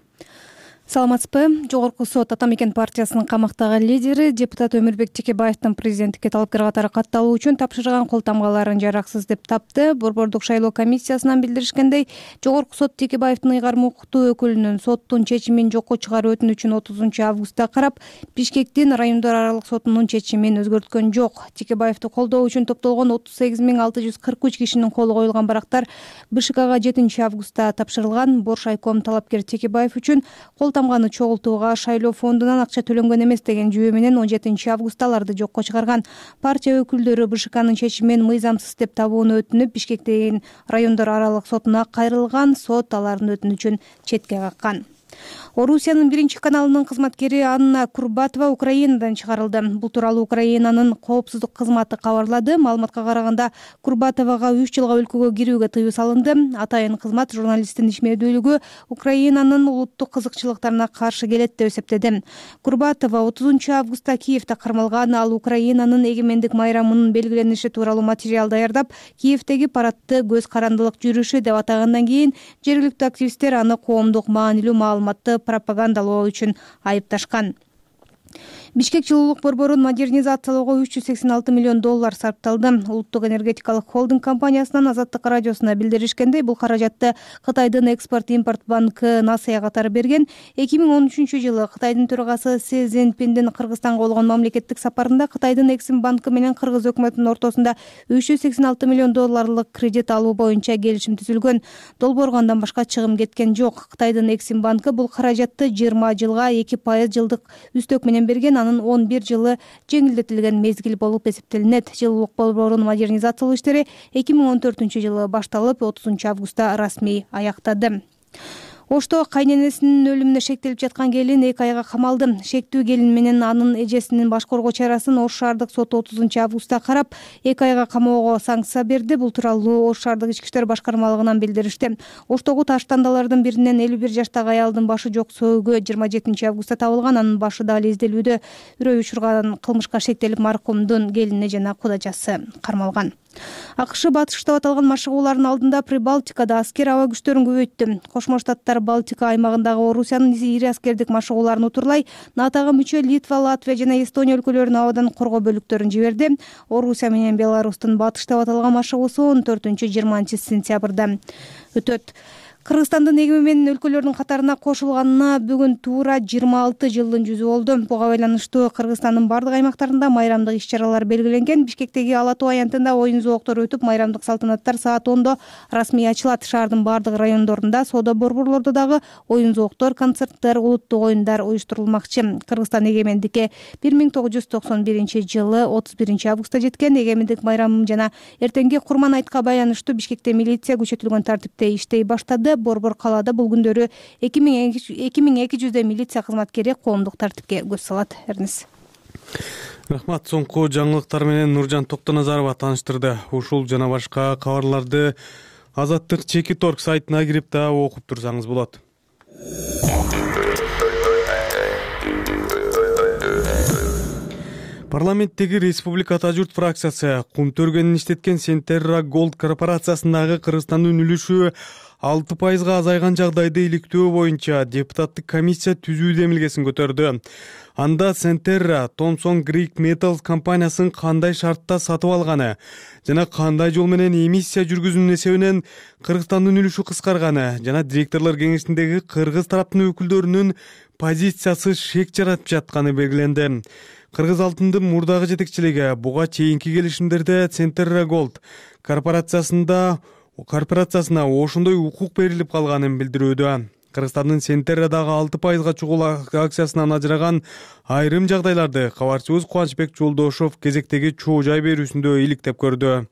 Саламатсызбы? Жогорку сот Ата Мекен партиясынын камактагы лидери депутат Өмүрбек Текебаевдин президенттикке талапкер катары катталуу үчүн тапшырган кол тамгаларын жараксыз деп тапты. Борбордук шайлоо комиссиясынан билдиришкендей, жогорку сот Текебаевдин ыйгарым укуктуу өкүлүнүн соттун чечимин жокко чыгаруу өтүнүчүн отузунчу августта карап, Бишкектин райондор аралык сотунун чечимин өзгөрткөн жок. Текебаевди колдоо үчүн топтолгон отуз сегиз миң алты жүз кырк үч кишинин колу коюлган барактар БШКга жетинчи августта тапшырылган. Боршайком талапкер Текебаев үчүн кол тамганы чогултууга шайлоо фондунан акча төлөнгөн эмес деген жүйө менен он жетинчи августта аларды жокко чыгарган. Партия өкүлдөрү БШКнын чечимин мыйзамсыз деп табууну өтүнүп, Бишкектеги райондор аралык сотуна кайрылган. Сот алардын өтүнүчүн четке каккан. Орусиянын биринчи каналынын кызматкери Анна Курбатова Украинадан чыгарылды. Бул тууралуу Украинанын коопсуздук кызматы кабарлады. Маалыматка караганда, Курбатовага үч жылга өлкөгө кирүүгө тыюу салынды. Атайын кызмат журналисттин ишмердүүлүгү Украинанын улуттук кызыкчылыктарына каршы келет деп эсептеди. Курбатова отузунчу августта Киевде кармалган. Ал Украинанын эгемендик майрамынын белгилениши тууралуу материал даярдап, Киевдеги парадты көз карандылык жүрүшү деп атагандан кийин жергиликтүү активисттер аны коомдук маанилүү маалыматты пропагандалоо үчүн айыпташкан. Бишкек жылуулук борборун модернизациялоого үч жүз сексен алты миллион доллар сарпталды. Улуттук энергетикалык холдинг компаниясынан Азаттык радиосуна билдиришкендей, бул каражатты Кытайдын экспорт-импорт банкы Насыя катары берген. эки миң он үчүнчү жылы Кытайдын төрагасы Си Цзиньпиндин Кыргызстанга болгон мамлекеттик сапарында Кытайдын Эксим банкы менен Кыргыз өкмөтүнүн ортосунда үч жүз сексен алты миллион долларлык кредит алуу боюнча келишим түзүлгөн. Долбоорго андан башка чыгым кеткен жок. Кытайдын Эксим банкы бул каражатты жыйырма жылга эки пайыз жылдык үстөк менен берген. Анын он бир жылы жеңилдетилген мезгил болуп эсептелинет. Жылуулук борборунун модернизациялоо иштери эки миң он төртүнчү жылы башталып, отузунчу августта расмий аяктады. Ошто кайненесинин өлүмүнө шектелип жаткан келин эки айга камалды. Шектүү келин менен анын эжесинин баш коргоо чарасын Ош шаардык соту отузунчу августта карап, эки айга камоого санкция берди. Бул тууралуу Ош шаардык ички иштер башкармалыгынан билдиришти. Оштогу таш тандалардын биринен элүү бир жаштагы аялдын башы жок сөөгү жыйырма жетинчи августта табылган. Анын башы дали изделүүдө. Үрөй учурган кылмышка шектелип, маркумдун келини жана кудачасы кармалган. АКШ Батыш штабы аталган машыгуулардын алдында Прибалтикада аскер аба күчтөрүн көбөйттү. Кошмо Штаттар Балтика аймагындагы Орусиянын ири аскердик машыгууларын утурлай НАТОга мүчө Литва, Латвия жана Эстония өлкөлөрүнүн абадан коргоо бөлүктөрүн жиберди. Орусия менен Беларустун Батыш штабы аталган машыгуусу он төртүнчү жыйырманчы сентябрда өтөт. Кыргызстандын эгемен өлкөлөрдүн катарына кошулганына бүгүн туура жыйырма алты жылдын жүзү болду. Буга байланыштуу Кыргызстандын бардык аймактарында майрамдык иш-чаралар белгиленген. Бишкектеги Ала Тоо аянтында оюн зооктору өтүп, майрамдык салтанаттар саат ондо расмий ачылат. Шаардын бардык райондорунда, соода борборлордо дагы оюн зооктор, концерттер, улуттук оюндар уюштурулмакчы. Кыргызстан эгемендикке бир миң тогуз жүз токсон биринчи жылы отуз биринчи августта жеткен. Эгемендик майрамы жана эртеңки Курман айтка байланыштуу Бишкекте милиция күчөтүлгөн тартипте иштей баштады. Борбор калаада бул күндөрү эки миң эки жүздөй милиция кызматкери коомдук тартипке көз салат. Эрнис. Рахмат. Соңку жаңылыктар менен Нуржан Токтоназарова тааныштырды. Ушул жана башка кабарларды Азаттык Чекит точка орг сайтына кирип да окуп турсаңыз болот. Парламенттеги Республика Ата журт фракциясы кум төргөнүн иштеткен Сентерра Голд корпорациясындагы Кыргызстандын үлүшү алты пайызга азайган жагдайды иликтөө боюнча депутаттык комиссия түзүү демилгесин көтөрдү. Анда Сентерра Thomson Greek Metals компаниясын кандай шартта сатып алганы жана кандай жол менен эмиссия жүргүзүүнүн эсебинен Кыргызстандын үлүшү кыскарганы жана директорлор кеңешиндеги кыргыз тараптын өкүлдөрүнүн позициясы шек жаратып жатканы белгиленди. Кыргыз алтындын мурдагы жетекчилиги буга чейинки келишимдерде Сентерра Голд корпорациясында корпорациясына ошондой укук берилип калганын билдирүүдө. Кыргызстандын Сентеррадагы алты пайызга чогул акциясынан ажыраган айрым жагдайларды кабарчыбыз Кубанычбек Жолдошов кезектеги чоо жай берүүсүндө иликтеп көрдү.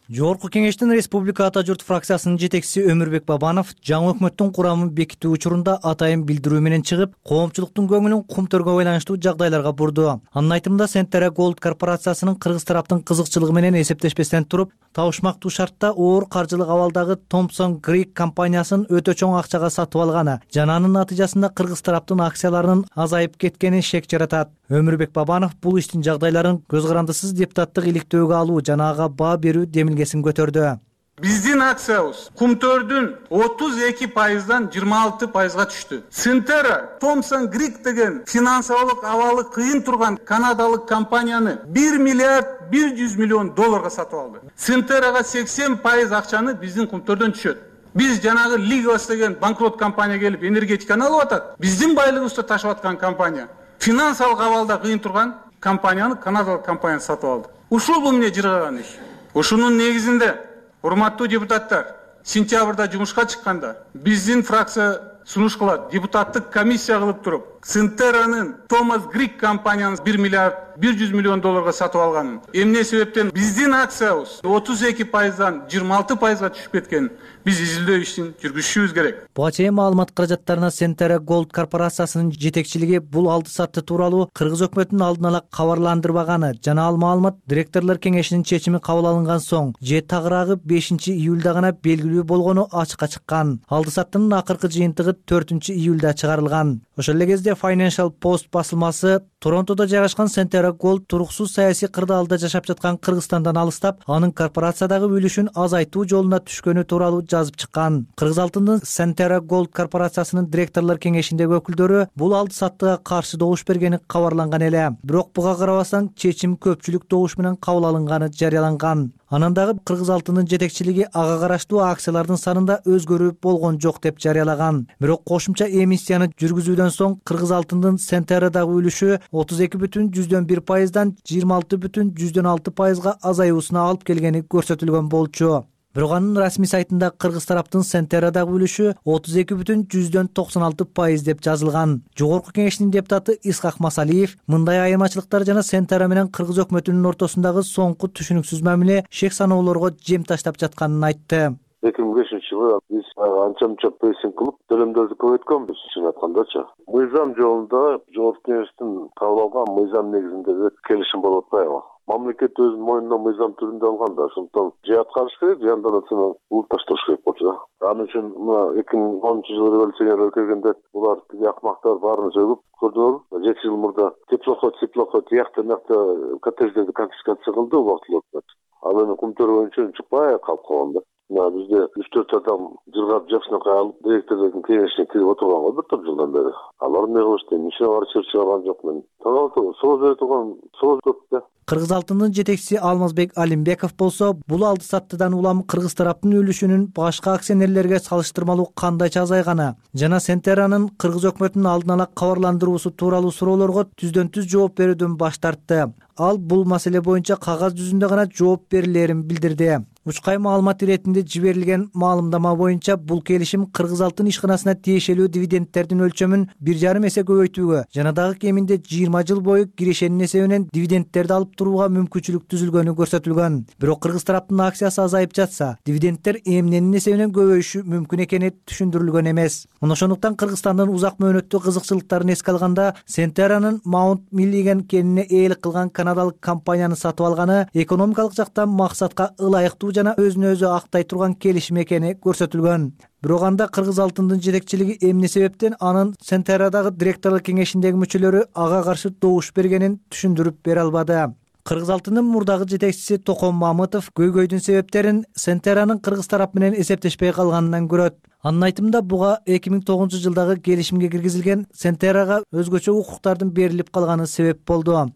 Жогорку кеңештин Республика Ата журт фракциясынын жетекчиси Өмүрбек Бабанов жаңы өкмөттүн курамын бекитүү учурунда атайын билдирүү менен чыгып, коомчулуктун көңүлүн кумтөргө байланыштуу жагдайларга бурду. Анын айтымында Сентерра Голд корпорациясынын кыргыз тараптын кызыкчылыгы менен эсептешпестен туруп, табышмактуу шартта оор каржылык абалдагы Thomson Greek компаниясын өтө чоң акчага сатып алганы жана анын натыйжасында кыргыз тараптын акцияларынын азайып кеткени шек жаратат. Өмүрбек Бабанов бул иштин жагдайларын көз карандысыз депутаттык иликтөөгө алуу жана ага баа берүү демилгесин көтөрдү. Биздин акциябыз кумтөрдүн отуз эки пайыздан жыйырма алты пайызга түштү. Сентерра Thomson Greek деген финансылык абалы кыйын турган канадалык компанияны бир миллиард бир жүз миллион долларга сатып алды. Сентеррага сексен пайыз акчаны биздин кумтөрдөн түшөт. Биз жанагы Лигос деген банкрот компания келип энергетиканы алып атат. Биздин байлыгыбызды ташып аткан компания финансылык абалда кыйын турган компанияны канадалык компания сатып алды. Ушул бул эмне жыргаган иш. Ушунун негизинде урматтуу депутаттар, сентябрда жумушка чыкканда биздин фракция сунуш кылат, депутаттык комиссия кылып туруп, Сентерранын Thomson Greek компанияны бир миллиард бир жүз миллион долларга сатып алганын, эмне себептен биздин акциябыз отуз эки пайыздан жыйырма алты пайызга түшүп кеткенин биз изилдөө ишин жүргүзүшүбүз керек. Буга чейин маалымат каражаттарына Сентерра Голд корпорациясынын жетекчилиги бул алды сатты тууралуу кыргыз өкмөтүнүн алдын ала кабарландырбаганы жана ал маалымат директорлор кеңешинин чечими кабыл алынган соң же тагыраагы бешинчи июлда гана белгилүү болгону ачыкка чыккан. Алды саттынын акыркы жыйынтыгы төртүнчү июлда чыгарылган. Ошол эле кезде Financial Post басылмасы Торонтодо жайгашкан Сентерра Голд туруксуз саясий кырдаалда жашап жаткан Кыргызстандан алыстап, анын корпорациядагы үлүшүн азайтуу жолуна түшкөнү тууралуу жазып чыккан. Кыргыз алтындын Сентерра Голд корпорациясынын директорлор кеңешиндеги өкүлдөрү бул алды саттыга каршы добуш бергени кабарланган эле. Бирок буга карабастан чечим көпчүлүк добуш менен кабыл алынганы жарыяланган. Анан дагы Кыргыз алтынын жетекчилиги ага караштуу акциялардын санында өзгөрүү болгон жок деп жарыялаган. Бирок кошумча эмиссияны жүргүзүүдөн соң Кыргыз алтындын Сентеррадагы үлүшү отуз эки бүтүн жүздөн бир пайыздан жыйырма алты бүтүн жүздөн алты пайызга азаюусуна алып келгени көрсөтүлгөн болчу. Бирок анын расмий сайтында кыргыз тараптын Сентеррадагы үлүшү отуз эки бүтүн жүздөн токсон алты пайыз деп жазылган. Жогорку кеңештин депутаты Исхак Масалиев мындай айырмачылыктар жана Сентерра менен кыргыз өкмөтүнүн ортосундагы соңку түшүнүксүз мамиле шек саноолорго жем таштап жатканын айтты. эки миң бешинчи жылы биз анча мынча прессинг кылып төлөмдөрдү көбөйткөнбүз, чын айткандачы. Мыйзам жолунда жогорку кеңештин кабыл алган мыйзам негизинде келишим болуп атпайбы? Мамлекет өзүнүн мойнуна мыйзам түрүндө алган да, ошондон же аткарыш керек, же андан артынан улут ташташ керек болчу да. Анын үчүн мына эки миң онунчу жылы революционерлер келгенде булар тиги акмактар баарын сөгүп көрдүңөрбү. Жети жыл мурда теплоход, теплоход тиякта мыякта коттедждерди конфискация кылды убактылуу өкмөт. Ал эми кумтөр боюнча чыкпай калып калган да. Мына бизде үч төрт адам жыргап жакшынакай алып директордун кеңешине кирип отурганго бир топ жылдан бери. Алар эмне кылышты? Ишине бары чыр чыгарган жок мен. Таң сооз берип турган сооз көп да. Кыргыз алтынын жетекчиси Алмазбек Алимбеков болсо, бул алды саттыдан улам кыргыз тараптын үлүшүнүн башка акционерлерге салыштырмалуу кандайча азайганы жана Сентерранын кыргыз өкмөтүнүн алдын ала кабарландыруусу тууралуу суроолорго түздөн түз жооп берүүдөн баш тартты. Ал бул маселе боюнча кагаз жүзүндө гана жооп берилерин билдирди. Учкай маалымат иретинде жиберилген маалымдама боюнча бул келишим Кыргыз алтын ишканасына тиешелүү дивидендтердин өлчөмүн бир жарым эсе көбөйтүүгө жана дагы кеминде жыйырма жыл бою кирешенин эсебинен дивидендтерди алып турууга мүмкүнчүлүк түзүлгөнү көрсөтүлгөн. Бирок кыргыз тараптын акциясы азайып жатса, дивидендтер эмненин эсебинен көбөйүшү мүмкүн экени түшүндүрүлгөн эмес. Ошондуктан Кыргызстандын узак мөөнөттүү кызыкчылыктарын эске алганда, Centera'нын Mount Milligan кенине ээлик кылган канадалык компанияны сатып алганы экономикалык жактан максатка ылайыктуу жана өзүнө өзү актай турган келишим экени көрсөтүлгөн. Бирок анда кыргыз алтындын жетекчилиги эмне себептен анын Centera'дагы директорлор кеңешиндеги мүчөлөрү ага каршы добуш бергенин түшүндүрүп бере албады. Кыргыз алтынын мурдагы жетекчиси Токон Мамытов көйгөйдүн себептерин Centera'нын кыргыз тарап менен эсептешпей калганынан көрөт. Анын айтымында буга эки миң тогузунчу жылдагы келишимге киргизилген Centera'га өзгөчө укуктардын берилип калганы себеп болду.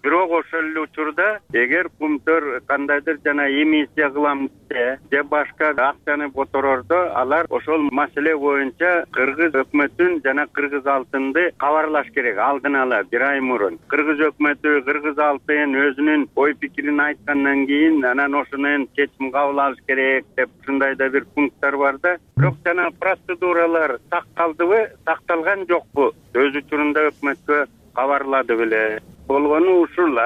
Бирок ошол эле учурда эгер Кумтөр кандайдыр жана эмиссия кылам десе же башка акчаны которордо, алар ошол маселе боюнча кыргыз өкмөтүн жана кыргыз алтынды кабарлаш керек алдын ала бир ай мурун. Кыргыз өкмөтү, кыргыз алтын өзүнүн ой пикирин айткандан кийин анан ошонун чечим кабыл алыш керек деп ушундай да бир пункттар бар да. Бирок жана процедуралар сакталдыбы, сакталган жокпу? Өз учурунда өкмөткө кабарлады беле. Болгону ушул.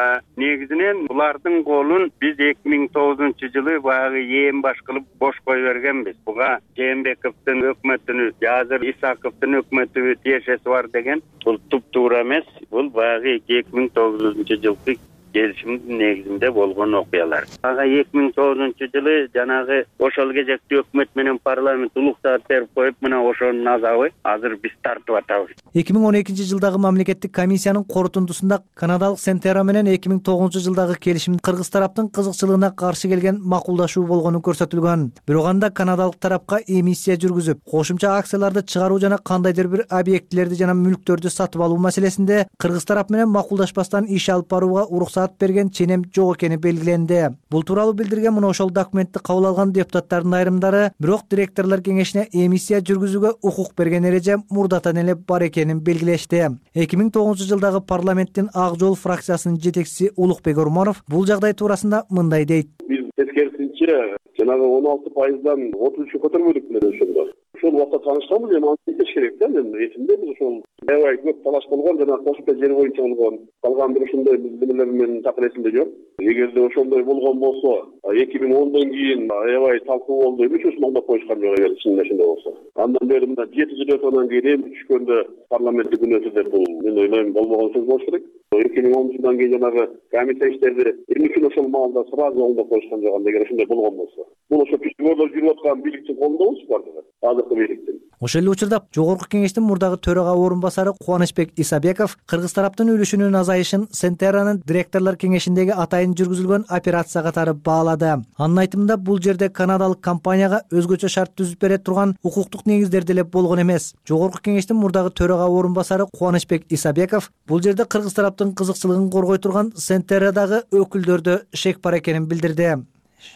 Негизинен булардын колун биз эки миң тогузунчу жылы баягы ээн баш кылып бош кое бергенбиз. Буга Жээнбековдун өкмөтүнүн, азыр Исаковдун өкмөтү тиешеси бар деген. Бул туп-туура эмес. Бул баягы эки миң тогузунчу жылкы келишимдин негизинде болгон окуялар. Ага эки миң тогузунчу жылы жанагы ошол кезекте өкмөт менен парламент улуктап берип коюп, мына ошонун азабы азыр биз тартып атабыз. эки миң он экинчи жылдагы мамлекеттик комиссиянын корутундусунда канадалык Centera менен эки миң тогузунчу жылдагы келишим кыргыз тараптын кызыкчылыгына каршы келген макулдашуу болгону көрсөтүлгөн. Бирок анда канадалык тарапка эмиссия жүргүзүп, кошумча акцияларды чыгаруу жана кандайдыр бир объектилерди жана мүлктөрдү сатып алуу маселесинде кыргыз тарап менен макулдашпастан иш алып барууга уруксат берген ченем жок экени белгиленди. Бул тууралуу билдирген мына ошол документти кабыл алган депутаттардын айрымдары, бирок директорлор кеңешине эмиссия жүргүзүүгө укук берген эреже мурдатан эле бар экенин белгилешти. эки миң тогузунчу жылдагы парламенттин Ак жол фракциясынын жетекчиси Улукбек Ормонов бул жагдай туурасында мындай дейт. Биз тескерисинче жанагы он алты пайыздан отуз үчкө көтөрбөдүк беле ошондо. Ошол убакта таанышканбыз, эми аны айтыш керек да. Мен эсимдебиз ошол аябай көп талаш болгон жана кошумча жер боюнча болгон. Калган бир ушундай билимелер менен такыр эсимде жок. Эгерде ошондой болгон болсо, эки миң ондон кийин аябай талкуу болду. Эмне үчүн мында коюшкан жок эгер чын ошондой болсо. Андан бери мына жети жыл өткөндөн кийин эми түшкөндө парламентте күн өтү деп бул мен ойлойм болбогон сөз болуш керек. эки миң онунчу жылдан кийин жанагы комиссия иштерди эмне үчүн ошол маалда сразу оңдоп коюшкан жок анда эгер ошондой болгон болсо. Бул ошо түштүгүрдө жүрүп аткан бийликтин колунда болчу бардыгы. Азыркы бийликтин. Ошол эле учурда жогорку кеңештин мурдагы төрага орун басары Кубанычбек Исабеков кыргыз тараптын үлүшүнүн азайышын Centera'нын директорлор кеңешиндеги атайын жүргүзүлгөн операция катары баалады. Анын айтымында бул жерде канадалык компанияга өзгөчө шарт түзүп бере турган укуктук негиздер деле болгон эмес. Жогорку кеңештин мурдагы төрага орун басары Кубанычбек Исабеков бул жерде кыргыз тараптын кызыкчылыгын коргой турган Centera'дагы өкүлдөрдө шек бар экенин билдирди.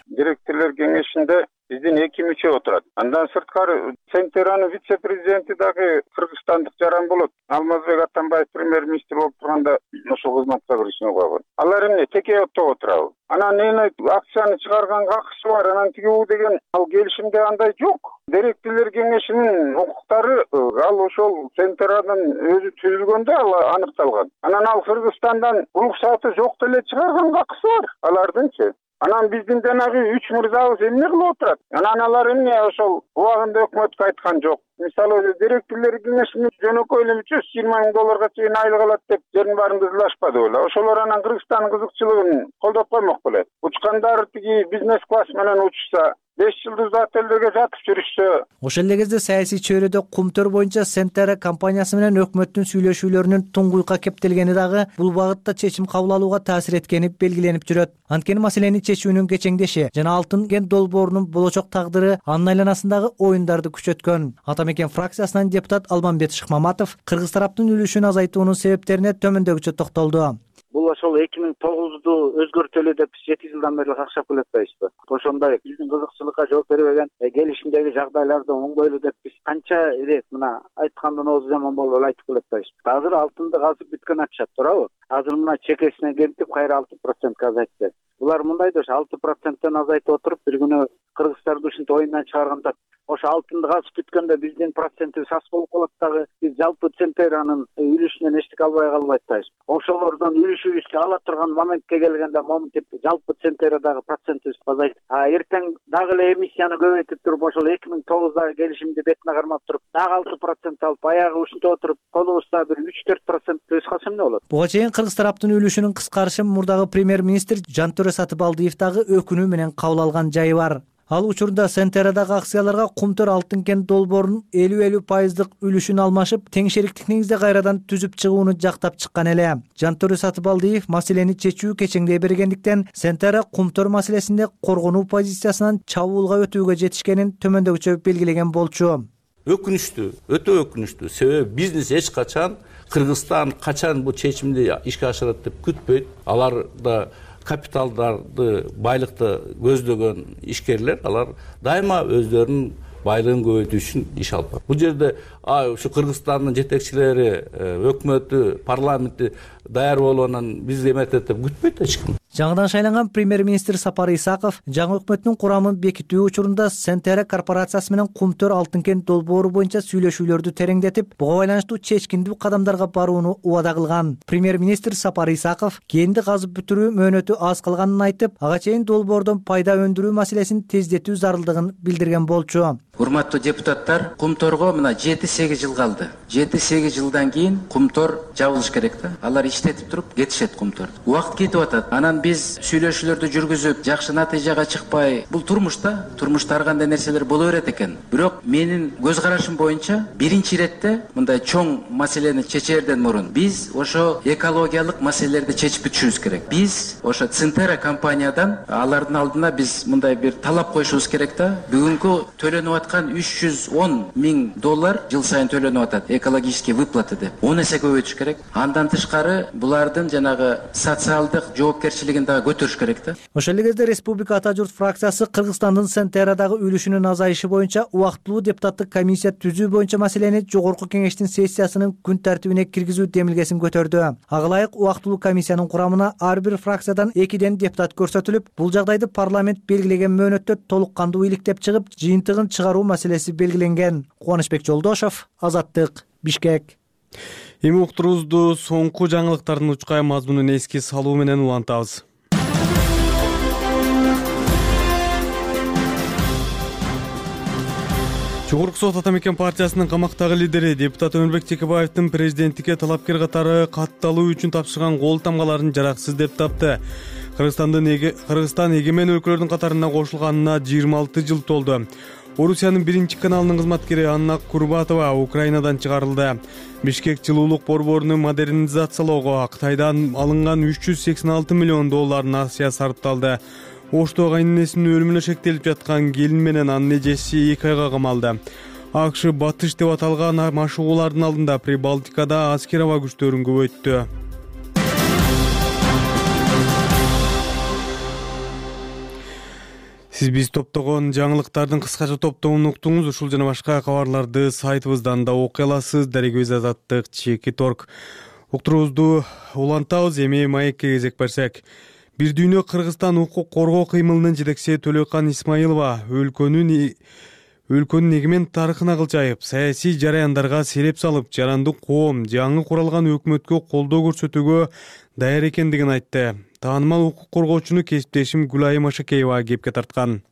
Директорлор кеңешинде биздин эки мүчө отурат. Андан сырткары Centera'нын вице-президенти дагы кыргызстандык жаран болот. Алмазбек Атамбаев премьер-министр болуп турганда ошол кызматка киришине койгон. Алар эмне теке отто отурабы? Анан эне акцияны чыгарганга акысы бар, анан тиги бул деген ал келишимде андай жок. Директорлор кеңешинин укуктары ал ошол Centera'нын өзү түзүлгөндө ал аныкталган. Анан ал Кыргызстандан уруксаты жок деле чыгарганга акысы бар алардынчы. Анан биздин жанагы үч мырзабыз эмне кылып отурат? Анан алар эмне ошол убагында өкмөткө айткан жок. Мисалы директорлор кеңешинин жөнөкөй эле үч жүз жыйырма миң долларга чейин айлык алат деп жерин баарын кызылашпады беле. Ошолор анан Кыргызстандын кызыкчылыгын колдоп коймок беле. Учкандар тиги бизнес класс менен учушса, беш жылдыздуу отелдерге жатып жүрүшсө. Ошол эле кезде саясий чөйрөдө Кумтөр боюнча Centera компаниясы менен өкмөттүн сүйлөшүүлөрүнүн туңгуйка кептелгени дагы бул багытта чечим кабыл алууга таасир эткени белгиленип жүрөт. Анткени маселени чечүүнүн кечеңдеши жана алтын кен долбоорунун болочок тагдыры анын айланасындагы оюндарды күчөткөн. Атамекен фракциясынан депутат Алмамбет Шыкмаматов кыргыз тараптын үлүшүн азайтуунун себептерине төмөндөгүчө токтолду. Бул ошол эки миң тогузду өзгөртөлү деп жети жылдан бери какшап келатпайбызбы? Ошондой биздин кызыкчылыкка жооп бербеген келишимдеги жагдайларды оңдойлу деп биз канча ирет мына айткандан оозу жаман болуп эле айтып келатпайбызбы? Азыр алтынды казып бүткөн атышат, туурабы? азыр мына чекесине кемтип кайра алты процентке азайтты. Булар мындай да ошо алты проценттен азайтып отуруп бир күнү кыргыздарды ушинтип оюндан чыгарганда ошо алтынды казып бүткөндө биздин процентибиз аз болуп калат дагы. Биз жалпы Центеранын үлүшүнөн эчтеке албай калбайт атпайбыз. Ошолордон үлүшүбүздү ала турган моментке келгенде моментип жалпы Центерадагы процентибиз азайт. А эртең дагы эле эмиссияны көбөйтүп туруп ошол эки миң тогуздагы келишимди бетине кармап туруп дагы алты процент алып аягы ушинтип отуруп колубузда бир үч төрт процент өз калса эмне болот? Буга чейин кыргыз тараптын үлүшүнүн кыскарышы мурдагы премьер-министр Жантөре Сатыбалдиев дагы өкүнүү менен кабыл алган жайы бар. Ал учурда Центерадагы акцияларга Кумтөр алтын кен долбоорунун элүү элүү пайыздык үлүшүн алмашып, тең шериктик негизде кайрадан түзүп чыгууну жактап чыккан эле. Жантөре Сатыбалдиев маселени чечүү кечеңдей бергендиктен Центера Кумтөр маселесинде коргонуу позициясынан чабуулга өтүүгө жетишкенин төмөндөгүчө белгилеген болчу. Өкүнүчтүү, өтө өкүнүчтүү. Себеби бизнес эч качан Кыргызстан качан бул чечимди ишке ашырат деп күтпөйт. Алар да капиталдарды, байлыкты көздөгөн ишкерлер, алар дайыма өздөрүнүн байлыгын көбөйтүү үчүн иш алып барат. Бул жерде ушу Кыргызстандын жетекчилери, өкмөтү, парламенти даяр болуунан биз эметет деп күтпөйт эч ким. Жаңыдан шайланган премьер-министр Сапар Исаков жаңы өкмөттүн курамын бекитүү учурунда Центера корпорациясы менен Кумтөр алтын кен долбоору боюнча сүйлөшүүлөрдү тереңдетип, буга байланыштуу чечкиндүү кадамдарга барууну убада кылган. Премьер-министр Сапар Исаков кенди казып бүтүрүү мөөнөтү аз калганын айтып, ага чейин долбоордон пайда өндүрүү маселесин тездетүү зарылдыгын билдирген болчу. Урматтуу депутаттар, Кумторго мына жети сегиз жыл калды. жети сегиз жылдан кийин Кумтор жабылыш керек да. Алар иштетип туруп кетишет Кумтор. Убакыт кетип атат. Анан биз сүйлөшүүлөрдү жүргүзүп, жакшы натыйжага чыкпай, бул турмушта, турмушта ар кандай нерселер боло берет экен. Бирок менин көз карашым боюнча биринчи иретте мындай чоң маселени чечерден мурун биз ошо экологиялык маселелерди чечип бүтүшүбүз керек. Биз ошо Центера компаниядан алардын алдына биз мындай бир талап коюшубуз керек да. Бүгүнкү төлөнүп аткан үч жүз он миң доллар жыл сайын төлөнүп атат экологический выплаты деп. он эсе көбөйтүш керек. Андан тышкары булардын жанагы социалдык жоопкерчилигин дагы көтөрүш керек да. Ошол эле кезде Республика Ата журт фракциясы Кыргызстандын Центерадагы үлүшүнүн азайышы боюнча убактылуу депутаттык комиссия түзүү боюнча маселени жогорку кеңештин сессиясынын күн тартибине киргизүү демилгесин көтөрдү. Ага ылайык убактылуу комиссиянын курамына ар бир фракциядан экиден депутат көрсөтүлүп, бул жагдайды парламент белгилеген мөөнөттө толук кандуу иликтеп чыгып, жыйынтыгын чыгаруу маселеси белгиленген. Кубанычбек Жолдошов, Азаттык, Бишкек. Эми уктурубузду соңку жаңылыктардын учкай мазмунун эске салуу менен улантабыз. Жогорку сот Ата мекен партиясынын камактагы лидери депутат Өмүрбек Чекебаевдин президенттикке талапкер катары катталуу үчүн тапшырган кол тамгаларын жараксыз деп тапты. Кыргызстандын Кыргызстан эгемен өлкөлөрдүн катарына кошулганына жыйырма алты жыл толду. Орусиянын биринчи каналынын кызматкери Анна Курбатова Украинадан чыгарылды. Бишкек жылуулук борборуну модернизациялоого Кытайдан алынган үч жүз сексен алты миллион долларын акция сарпталды. Ошто кайненесинин өлүмүнө шектелип жаткан келин менен анын эжеси эки айга камалды. АКШ батыш деп аталган машыгуулардын алдында Прибалтикада аскер аба күчтөрүн көбөйттү. Сиз биз топтогон жаңылыктардын кыскача топтомун уктуңуз. Ушул жана башка кабарларды сайтыбыздан да окуй аласыз. Дарегөз Азаттык, Чеки Торг. Уктурубузду улантабыз. Эми маекке кезек берсек. Бир дүйнө Кыргызстан укук коргоо кыймылынын жетекчиси Төлөкан Исмаилова өлкөнүн өлкөнүн эгемен тарыхына кыл жайып, саясий жараяндарга сереп салып, жарандык коом жаңы куралган өкмөткө колдоо көрсөтүүгө даяр экендигин айтты. Таанымал укук коргоочуну кесиптешим Гүлайым Ашакеева кепке тарткан.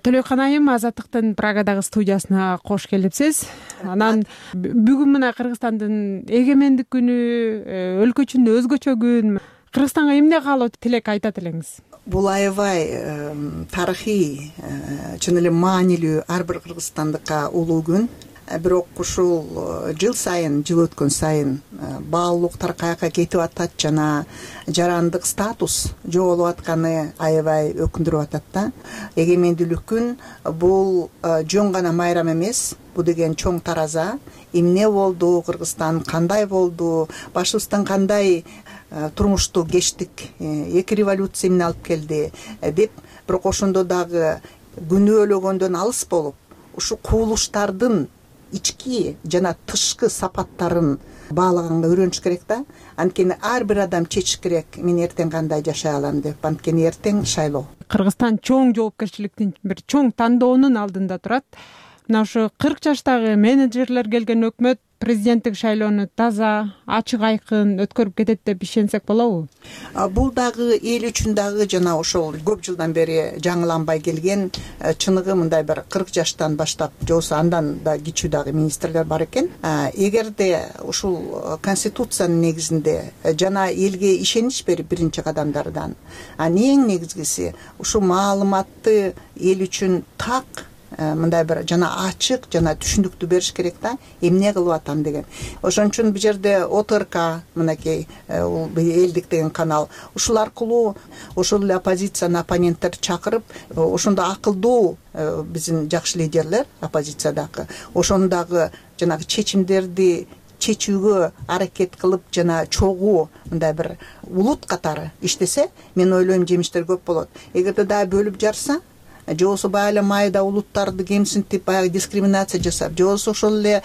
Төлөкан айым, Азаттыктын Прагадагы студиясына кош келипсиз. Анан бүгүн мына Кыргызстандын эгемендик күнү, өлкөчүндө өзгөчө күн. Кыргызстанга эмне каалоо тилек айтат элеңиз? Бул аябай тарыхый, чын эле маанилүү ар бир кыргызстандыкка улуу күн. Бирок ушул жыл сайын, жыл өткөн сайын баалуулук таркаякка кетип атат жана жарандык статус жоголуп атканы аябай өкүндүрүп атат да. Эгемендүүлүк күн бул жөн гана майрам эмес, бул деген чоң тараза. Эмне болду, Кыргызстан кандай болду, башыбыздан кандай турмушту кечтик, эки революция эмне алып келди деп, бирок ошондо дагы күнөөлөгөндөн алыс болуп, ушу куулуштардын ички жана тышкы сапаттарын баалаганга үйрөнүш керек да. Анткени ар бир адам чечиш керек, мен эртең кандай жашай алам деп. Анткени эртең шайлоо. Кыргызстан чоң жоопкерчиликтин, бир чоң тандоонун алдында турат. Мына ушу кырк жаштагы менеджерлер келген өкмөт президенттик шайлоону таза, ачык айкын өткөрүп кетет деп ишенсек болобу? Бул дагы эл үчүн дагы жана ошол көп жылдан бери жаңыланбай келген, чыныгы мындай бир кырк жаштан баштап, же болбосо андан да кичүү дагы министрлер бар экен. Эгерде ушул конституциянын негизинде жана элге ишенич берип биринчи кадамдардан, эң негизгиси ушул маалыматты эл үчүн так, мындай бир жана ачык жана түшүндүктүү бериш керек да, эмне кылып атам деген. Ошон үчүн бул жерде О Т Р К, мынакей элдик деген канал, ушул аркылуу ошол эле оппозициянын оппоненттер чакырып, ошондо акылдуу биздин жакшы лидерлер оппозициядагы, ошондагы жанагы чечимдерди чечүүгө аракет кылып жана чогуу мындай бир улут катары иштесе, мен ойлойм жемиштер көп болот. Эгерде дагы бөлүп жарса, же болбосо баягы майда улуттарды кемсинтип, баягы дискриминация жасап, же болбосо ошол эле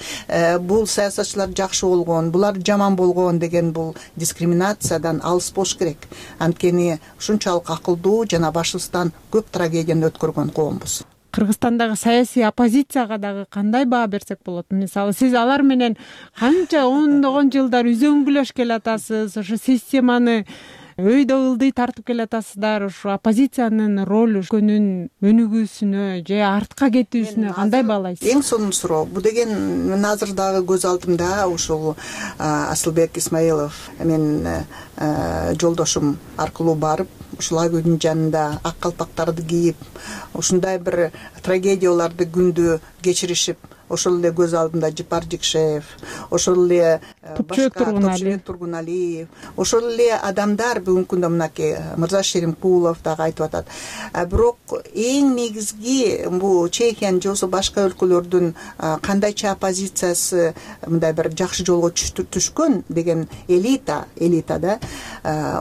бул саясатчылар жакшы болгон, булар жаман болгон деген бул дискриминациядан алыс болуш керек. Анткени ушунчалык акылдуу жана башыбыздан көп трагедияны өткөргөн коомбуз. Кыргызстандагы саясий оппозицияга дагы кандай баа берсек болот? Мисалы, сиз алар менен канча ондогон жылдар үзөңгүлөш келатасыз, ошо системаны өйдө ылдый тартып келатасыздар, ушу оппозициянын ролу көнүн өнүгүүсүнө же артка кетүүсүнө кандай баалайсыз? Эң сонун суроо. Бул деген мен азыр дагы көз алдымда ушул Асылбек Исмаилов, мен жолдошум аркылуу барып, ушул Агүлдүн жанында ак калпактарды кийип, ушундай бир трагедияларды күндү кечиришип, ошол эле көз алдымда Жыпар Жикшеев, ошол эле башка Топчубек Тургуналиев, ошол эле адамдар бүгүнкү күндө мынакей Мырза Шеримкулов дагы айтып атат. Бирок эң негизги бул Чехиянын же болбосо башка өлкөлөрдүн кандайча оппозициясы мындай бир жакшы жолго түшкөн деген элита, элита да.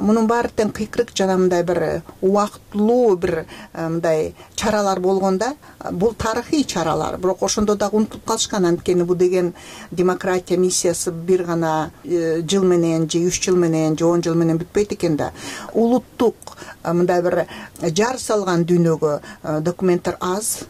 Мунун баары тең кыйкырык жана мындай бир убактылуу бир мындай чаралар болгонда, бул тарыхый чаралар, бирок ошондо дагы унутуп калышкан. Анткени бул деген демократия миссиясы бир гана жыл менен же үч жыл менен же он жыл менен бүтпөйт экен да. Улуттук мындай бир жар салган дүйнөгө документтер аз.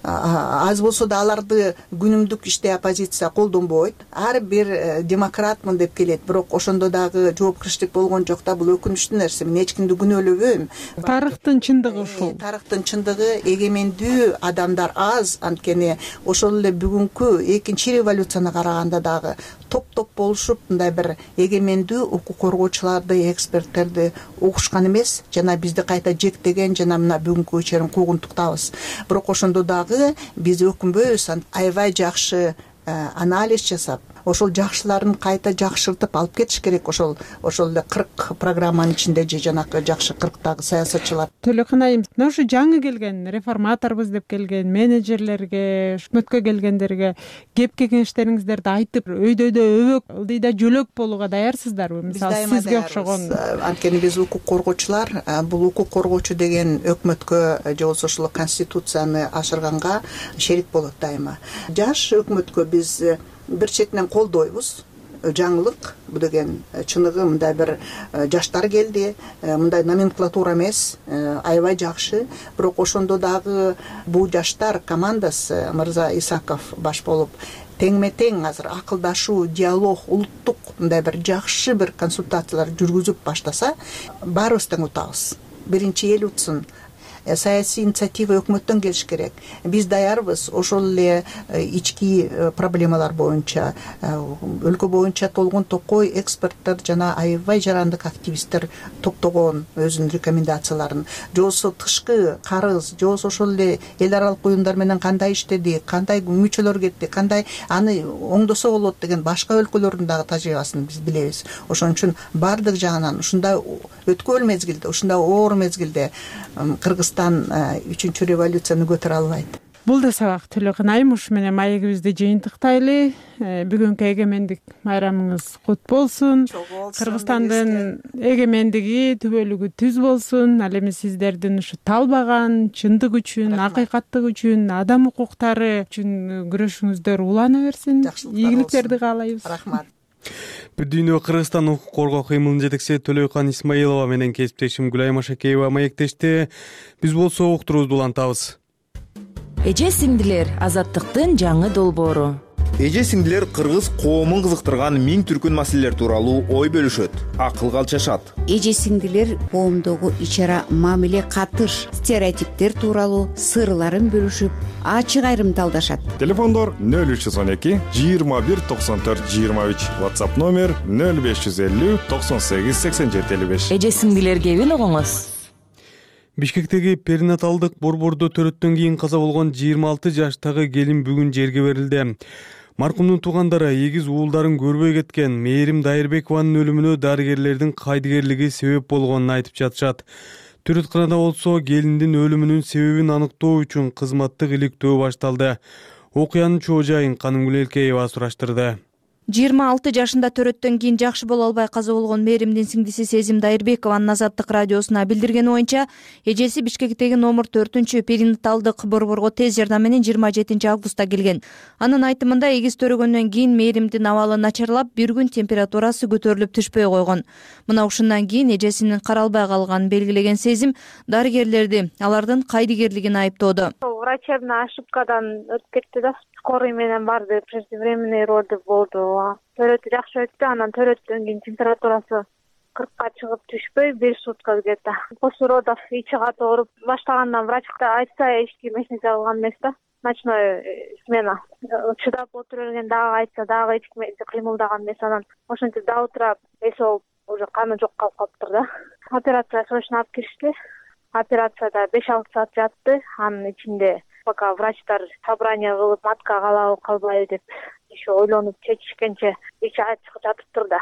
Аз болсо да аларды күнүмдүк иште оппозиция колдонбойт. Ар бир демократмын деп келет, бирок ошондо дагы жоопкерчилик болгон жок да. Бул өкүнүчтүү нерсе. Мен эч кимди күнөөлөбөйм. Тарыхтын чындыгы ушул. Тарыхтын чындыгы эгемендүү адамдар аз. Анткени ошол эле бүгүнкү экинчи революцияны караганда дагы топ-топ болушуп, мындай бир эгемендүү укук коргоочуларды, эксперттерди угушкан эмес, жана бизди кайта жектеген жана мына бүгүнкү чейин куугунтуктабыз. Бирок ошондо дагы биз өкүнбөйбүз, аябай жакшы анализ жасап, ошол жакшыларын кайта жакшыртып алып кетиш керек. Ошол ошол эле кырк программанын ичинде же жанакы жакшы кырктагы саясатчылар. Төлөкөн айым, мына ушу жаңы келген реформаторбуз деп келген менеджерлерге, өкмөткө келгендерге кеп кеңештериңиздерди айтып, өйдөдө өбөк, ылдыйда жөлөк болууга даярсыздарбы? Мисалы, сизге окшогон. Анткени биз укук коргоочулар, бул укук коргоочу деген өкмөткө же болбосо ошол конституцияны ашырганга шерик болот дайыма. Жаш өкмөткө биз бир четинен колдойбуз. Жаңылык, бул деген чыныгы мындай бир жаштар келди, мындай номенклатура эмес, аябай жакшы. Бирок ошондо дагы бул жаштар командасы, Мырза Исаков баш болуп, теңме-тең азыр акылдашуу, диалог, улуттук мындай бир жакшы бир консультациялар жүргүзүп баштаса, баарыбыз тең утабыз. Биринчи эл утсын. Саясий инициатива өкмөттөн келиш керек. Биз даярбыз ошол эле ички проблемалар боюнча, өлкө боюнча толгон токой эксперттер жана аябай жарандык активисттер топтогон өзүнүн рекомендацияларын, же болбосо тышкы карыз, же болбосо ошол эле эл аралык уюмдар менен кандай иштеди, кандай мүчөлөр кетти, кандай аны оңдосо болот деген башка өлкөлөрдүн дагы тажрыйбасын биз билебиз. Ошон үчүн баардык жагынан ушундай өткөл мезгилде, ушундай оор мезгилде Кыргызстан үчүнчү революцияны көтөрө албайт. бул да сабак Төлөкөн айым, ушу менен маегибизди жыйынтыктайлы. Бүгүнкү эгемендик майрамыңыз кут болсун. Кыргызстандын эгемендиги, түбөлүгү түз болсун. Ал эми сиздердин ушу талбаган чындык үчүн, акыйкаттык үчүн, адам укуктары үчүн күрөшүңүздөр улана берсин. Ийгиликтерди каалайбыз. Рахмат. Бүт дүйнө Кыргызстан укук коргоо кыймылынын жетекчиси Төлөкөн Исмаилова менен кесиптешим Гүлайым Ашакеева маектешти. Биз болсо уктуруубузду улантабыз. Эже сиңдилер, азаттыктын жаңы долбоору. Эже сиңдилер кыргыз коомун кызыктырган миң түркүн маселелер тууралуу ой бөлүшөт, акылга алчашат. Эже сиңдилер коомдогу ичара мамиле, катыш, стереотиптер тууралуу сырларын бөлүшүп, ачык айрымдалдашат. Телефондор нөл үч жүз он эки жыйырма бир токсон төрт жыйырма үч, WhatsApp номер нөл беш жүз элүү токсон сегиз сексен жети элүү беш. Эже сиңдилер кебин угуңуз. Бишкектеги перинаталдык борбордо төрөттөн кийин каза болгон жыйырма алты жаштагы келин бүгүн жерге берилди. Маркумдун туугандары эгиз уулдарын көрбөй кеткен Мээрим Дайырбекованын өлүмүнө дарыгерлердин кайдыгерлиги себеп болгонун айтып жатышат. Төрөтканада болсо келиндин өлүмүнүн себебин аныктоо үчүн кызматтык иликтөө башталды. Окуянын чоо жайын Канымгүл Элкеева сураштырды. жыйырма алты жашында төрөттөн кийин жакшы боло албай каза болгон Мээримдин сиңдиси Сезим Дайырбекованын Азаттык радиосуна билдиргени боюнча, эжеси Бишкектеги номер төртүнчү перинаталдык борборго тез жардам менен жыйырма жетинчи августта келген. Анын айтымында эгиз төрөгөндөн кийин Мээримдин абалы начарлап, бир күн температурасы көтөрүлүп түшпөй койгон. Мына ушундан кийин эжесинин каралбай калганын белгилеген Сезим дарыгерлерди алардын кайдыгерлигин айыптоодо. Врачебная ошибкадан өтүп кетти да. Скорый менен барды, преждевременный роды болду. Төрөтү жакшы өттү, анан төрөттөн кийин температурасы кыркка чыгып түшпөй, бир сутка где-то. После родов ичи каты ооруп баштагандан врачка айтса эч ким эч нерсе кылган эмес да. Ночной смена. Чыдап отура берген, дагы айтса дагы эч ким кыймылдаган эмес. Анан ошентип до утра эс алып, уже каны жок калып калыптыр да. Операция срочно алып киришти. Операцияда беш алты саат жатты. Анын ичинде пока врачтар собрание кылып, матка калабы калбайбы деп еще ойлонуп чечишкенче ичи ачык жатыптыр да,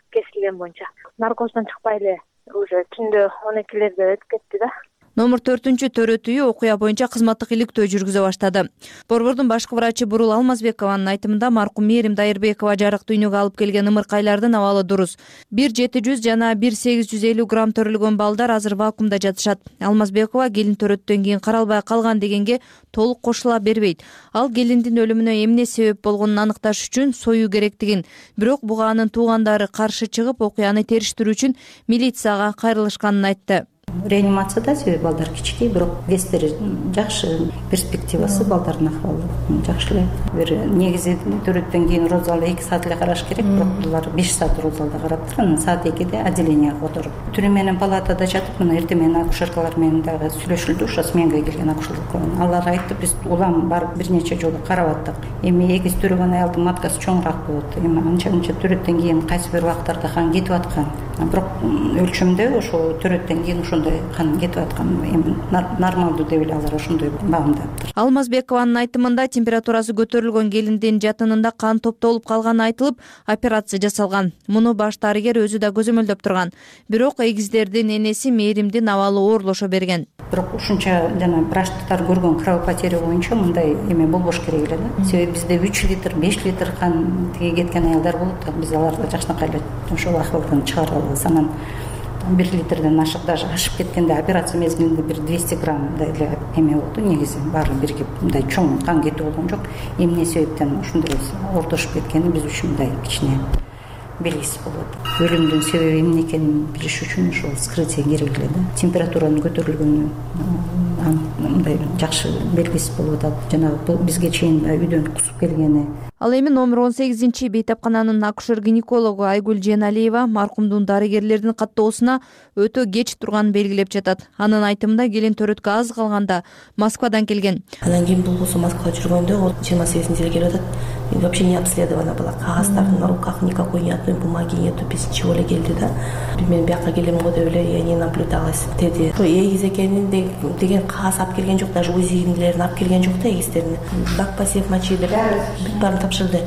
кесилген боюнча. Наркоздон чыкпай эле уже түндө он экилерде өтүп кетти да. Номер төртүнчү төрөт үйү окуя боюнча кызматтык иликтөө жүргүзө баштады. Борбордун башкы врачы Бурул Алмазбекованын айтымында маркум Мээрим Дайырбекова жарык дүйнөгө алып келген ымыркайлардын абалы дурус. бир жети жүз жана бир сегиз жүз элүү грамм төрөлгөн балдар азыр вакуумда жатышат. Алмазбекова келин төрөттөн кийин каралбай калган дегенге толук кошула бербейт. Ал келиндин өлүмүнө эмне себеп болгонун аныкташ үчүн союу керектигин, бирок буга анын туугандары каршы чыгып, окуяны териштирүү үчүн милицияга кайрылышканын айтты. Реанимацияда себеби балдар кичикей, бирок вестери жакшы, перспективасы балдардын акыбалы жакшы эле. Бир негизи төрөттөн кийин роз залы эки саат эле караш керек, бирок булар беш саат роз залда караптыр. Анан саат экиде отделенияга которуп, түрү менен палатада жатып, мына эртең менен акушеркалар менен дагы сүйлөшүлдү, ошо сменга келген акушерлер. Алар айтты, биз улам барып бир нече жолу карап аттык. Эми эгиз төрөгөн аялдын маткасы чоңураак болот. Эми анча-мынча төрөттөн кийин кайсы бир убактарда қан кетип аткан. Бирок өлчөмдө ошо төрөттөн кийин ошондой кан кетип аткан, эми нормалдуу деп эле алар ошондой баамдаптыр. Алмазбекованын айтымында температурасы көтөрүлгөн келиндин жатынында кан топтолуп калганы айтылып, операция жасалган. Муну баш дарыгер өзү да көзөмөлдөп турган. Бирок эгиздердин энеси Мээримдин абалы оорлошо берген. Бирок ушунча жана врачтар көргөн кровопотеря боюнча мындай эме болбош керек эле да. Себеби бизде үч литр, беш литр кан тиги кеткен аялдар болот да. Биз аларды жакшынакай эле ошол акыбалдан чыгара алабыз. Анан бир литрден ашык, даже ашып кеткенде операция мезгилинде бир двести граммдай эле эме болду. Негизи баары биригип мындай чоң кан кетип болгон жок. Эмне себептен ушундай ортошуп кеткени биз үчүн мындай кичине белгисиз болот. Өлүмдүн себеби эмне экенин билиш үчүн ошол вскрытие керек эле да. Температуранын көтөрүлгөнү мындай жакшы белгисиз болуп атат. Жанагы бизге чейин үйдөн кусуп келгени. Ал эми номер он сегизинчи бейтапкананын акушер-гинекологу Айгүл Женалиева маркумдун дарыгерлердин каттоосуна өтө кеч турганын белгилеп жатат. Анын айтымында келин төрөткө аз калганда Москвадан келген. Анан кийин бул болсо Москвага жүргөндө жыйырма сегизинчи эле келип атат. Вообще не обследована была. Кагаздары на руках никакой ни одной бумаги нету, без ничего эле келди да. Мен бияка келем го деп эле я не наблюдалась деди. Эгиз экенин деген кагаз алып келген жок, даже УЗИлерин алып келген жок да, эгистерин. Дак посев мочи деп бүт баарын тапшырды.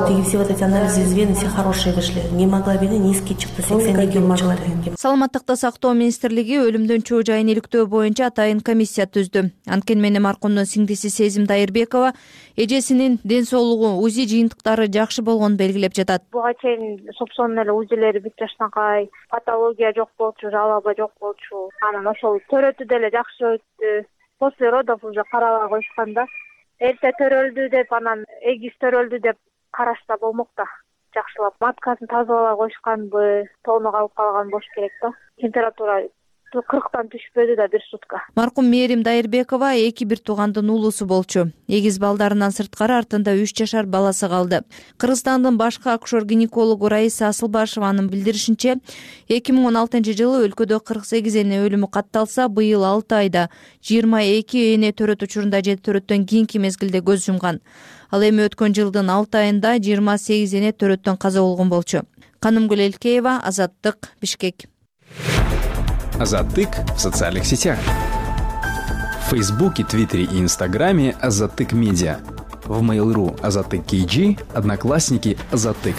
Тиги все вот эти анализы из вены все хорошие вышли. Гемоглобини низкий чыкты, сексен эки чыкты. Саламаттыкты сактоо министрлиги өлүмдөн чоо жайын иликтөө боюнча атайын комиссия түздү. Анткени менен маркумдун сиңдиси Сезим Дайырбекова эжесинин ден соолугу, УЗИ жыйынтыктары жакшы болгонун белгилеп жатат. Буга чейин сопсонун эле УЗИлери бүт жаштанкай, патология жок болчу, жалаба жок болчу. Анан ошол төрөтү деле жакшы өттү. После родов уже карабай коюшкан да. Эрте төрөлдү деп, анан эгиз төрөлдү деп карашса болмок да. Жакшылап маткасын тазалабай коюшканбы, тону калып калган болуш керек да. Температура кырктан түшпөдү да бир сутка. Маркум Мээрим Дайырбекова эки бир туугандын уулусу болчу. Эгиз балдарынан сырткары артында үч жашар баласы калды. Кыргызстандын башкы акушер-гинекологу Раиса Асылбашеванын билдиришинче, эки миң он алтынчы жылы өлкөдө кырк сегиз эне өлүмү катталса, быйыл алты айда жыйырма эки эне төрөт учурунда же төрөттөн кийинки мезгилде көз жумган. Ал эми өткөн жылдын алты айында жыйырма сегиз эне төрөттөн каза болгон болчу. Канымгүл Элкеева, Азаттык, Бишкек. Азаттык в социальных сетях. В Фейсбуке, Твиттере и Инстаграме Азаттык Медиа. В Mail.ru Азаттык кей джи, Одноклассники Азаттык.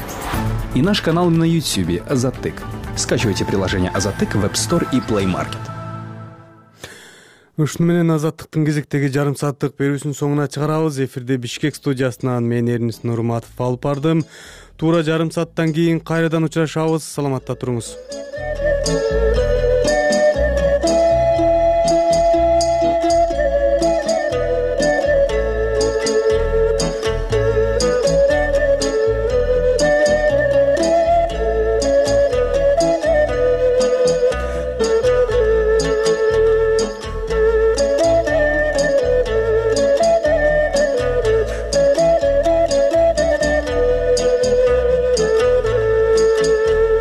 И наш канал на Ютубе Азаттык. Скачивайте приложение Азаттык в App Store и Play Market. Ушуну менен Азаттыктын кезектеги жарым сааттык берүүсүнүн соңуна чыгарабыз. Эфирде Бишкек студиясынан мен Эрнис Нурматов алып бардым. Туура жарым сааттан кийин кайрадан учурашабыз. Саламатта туруңуз.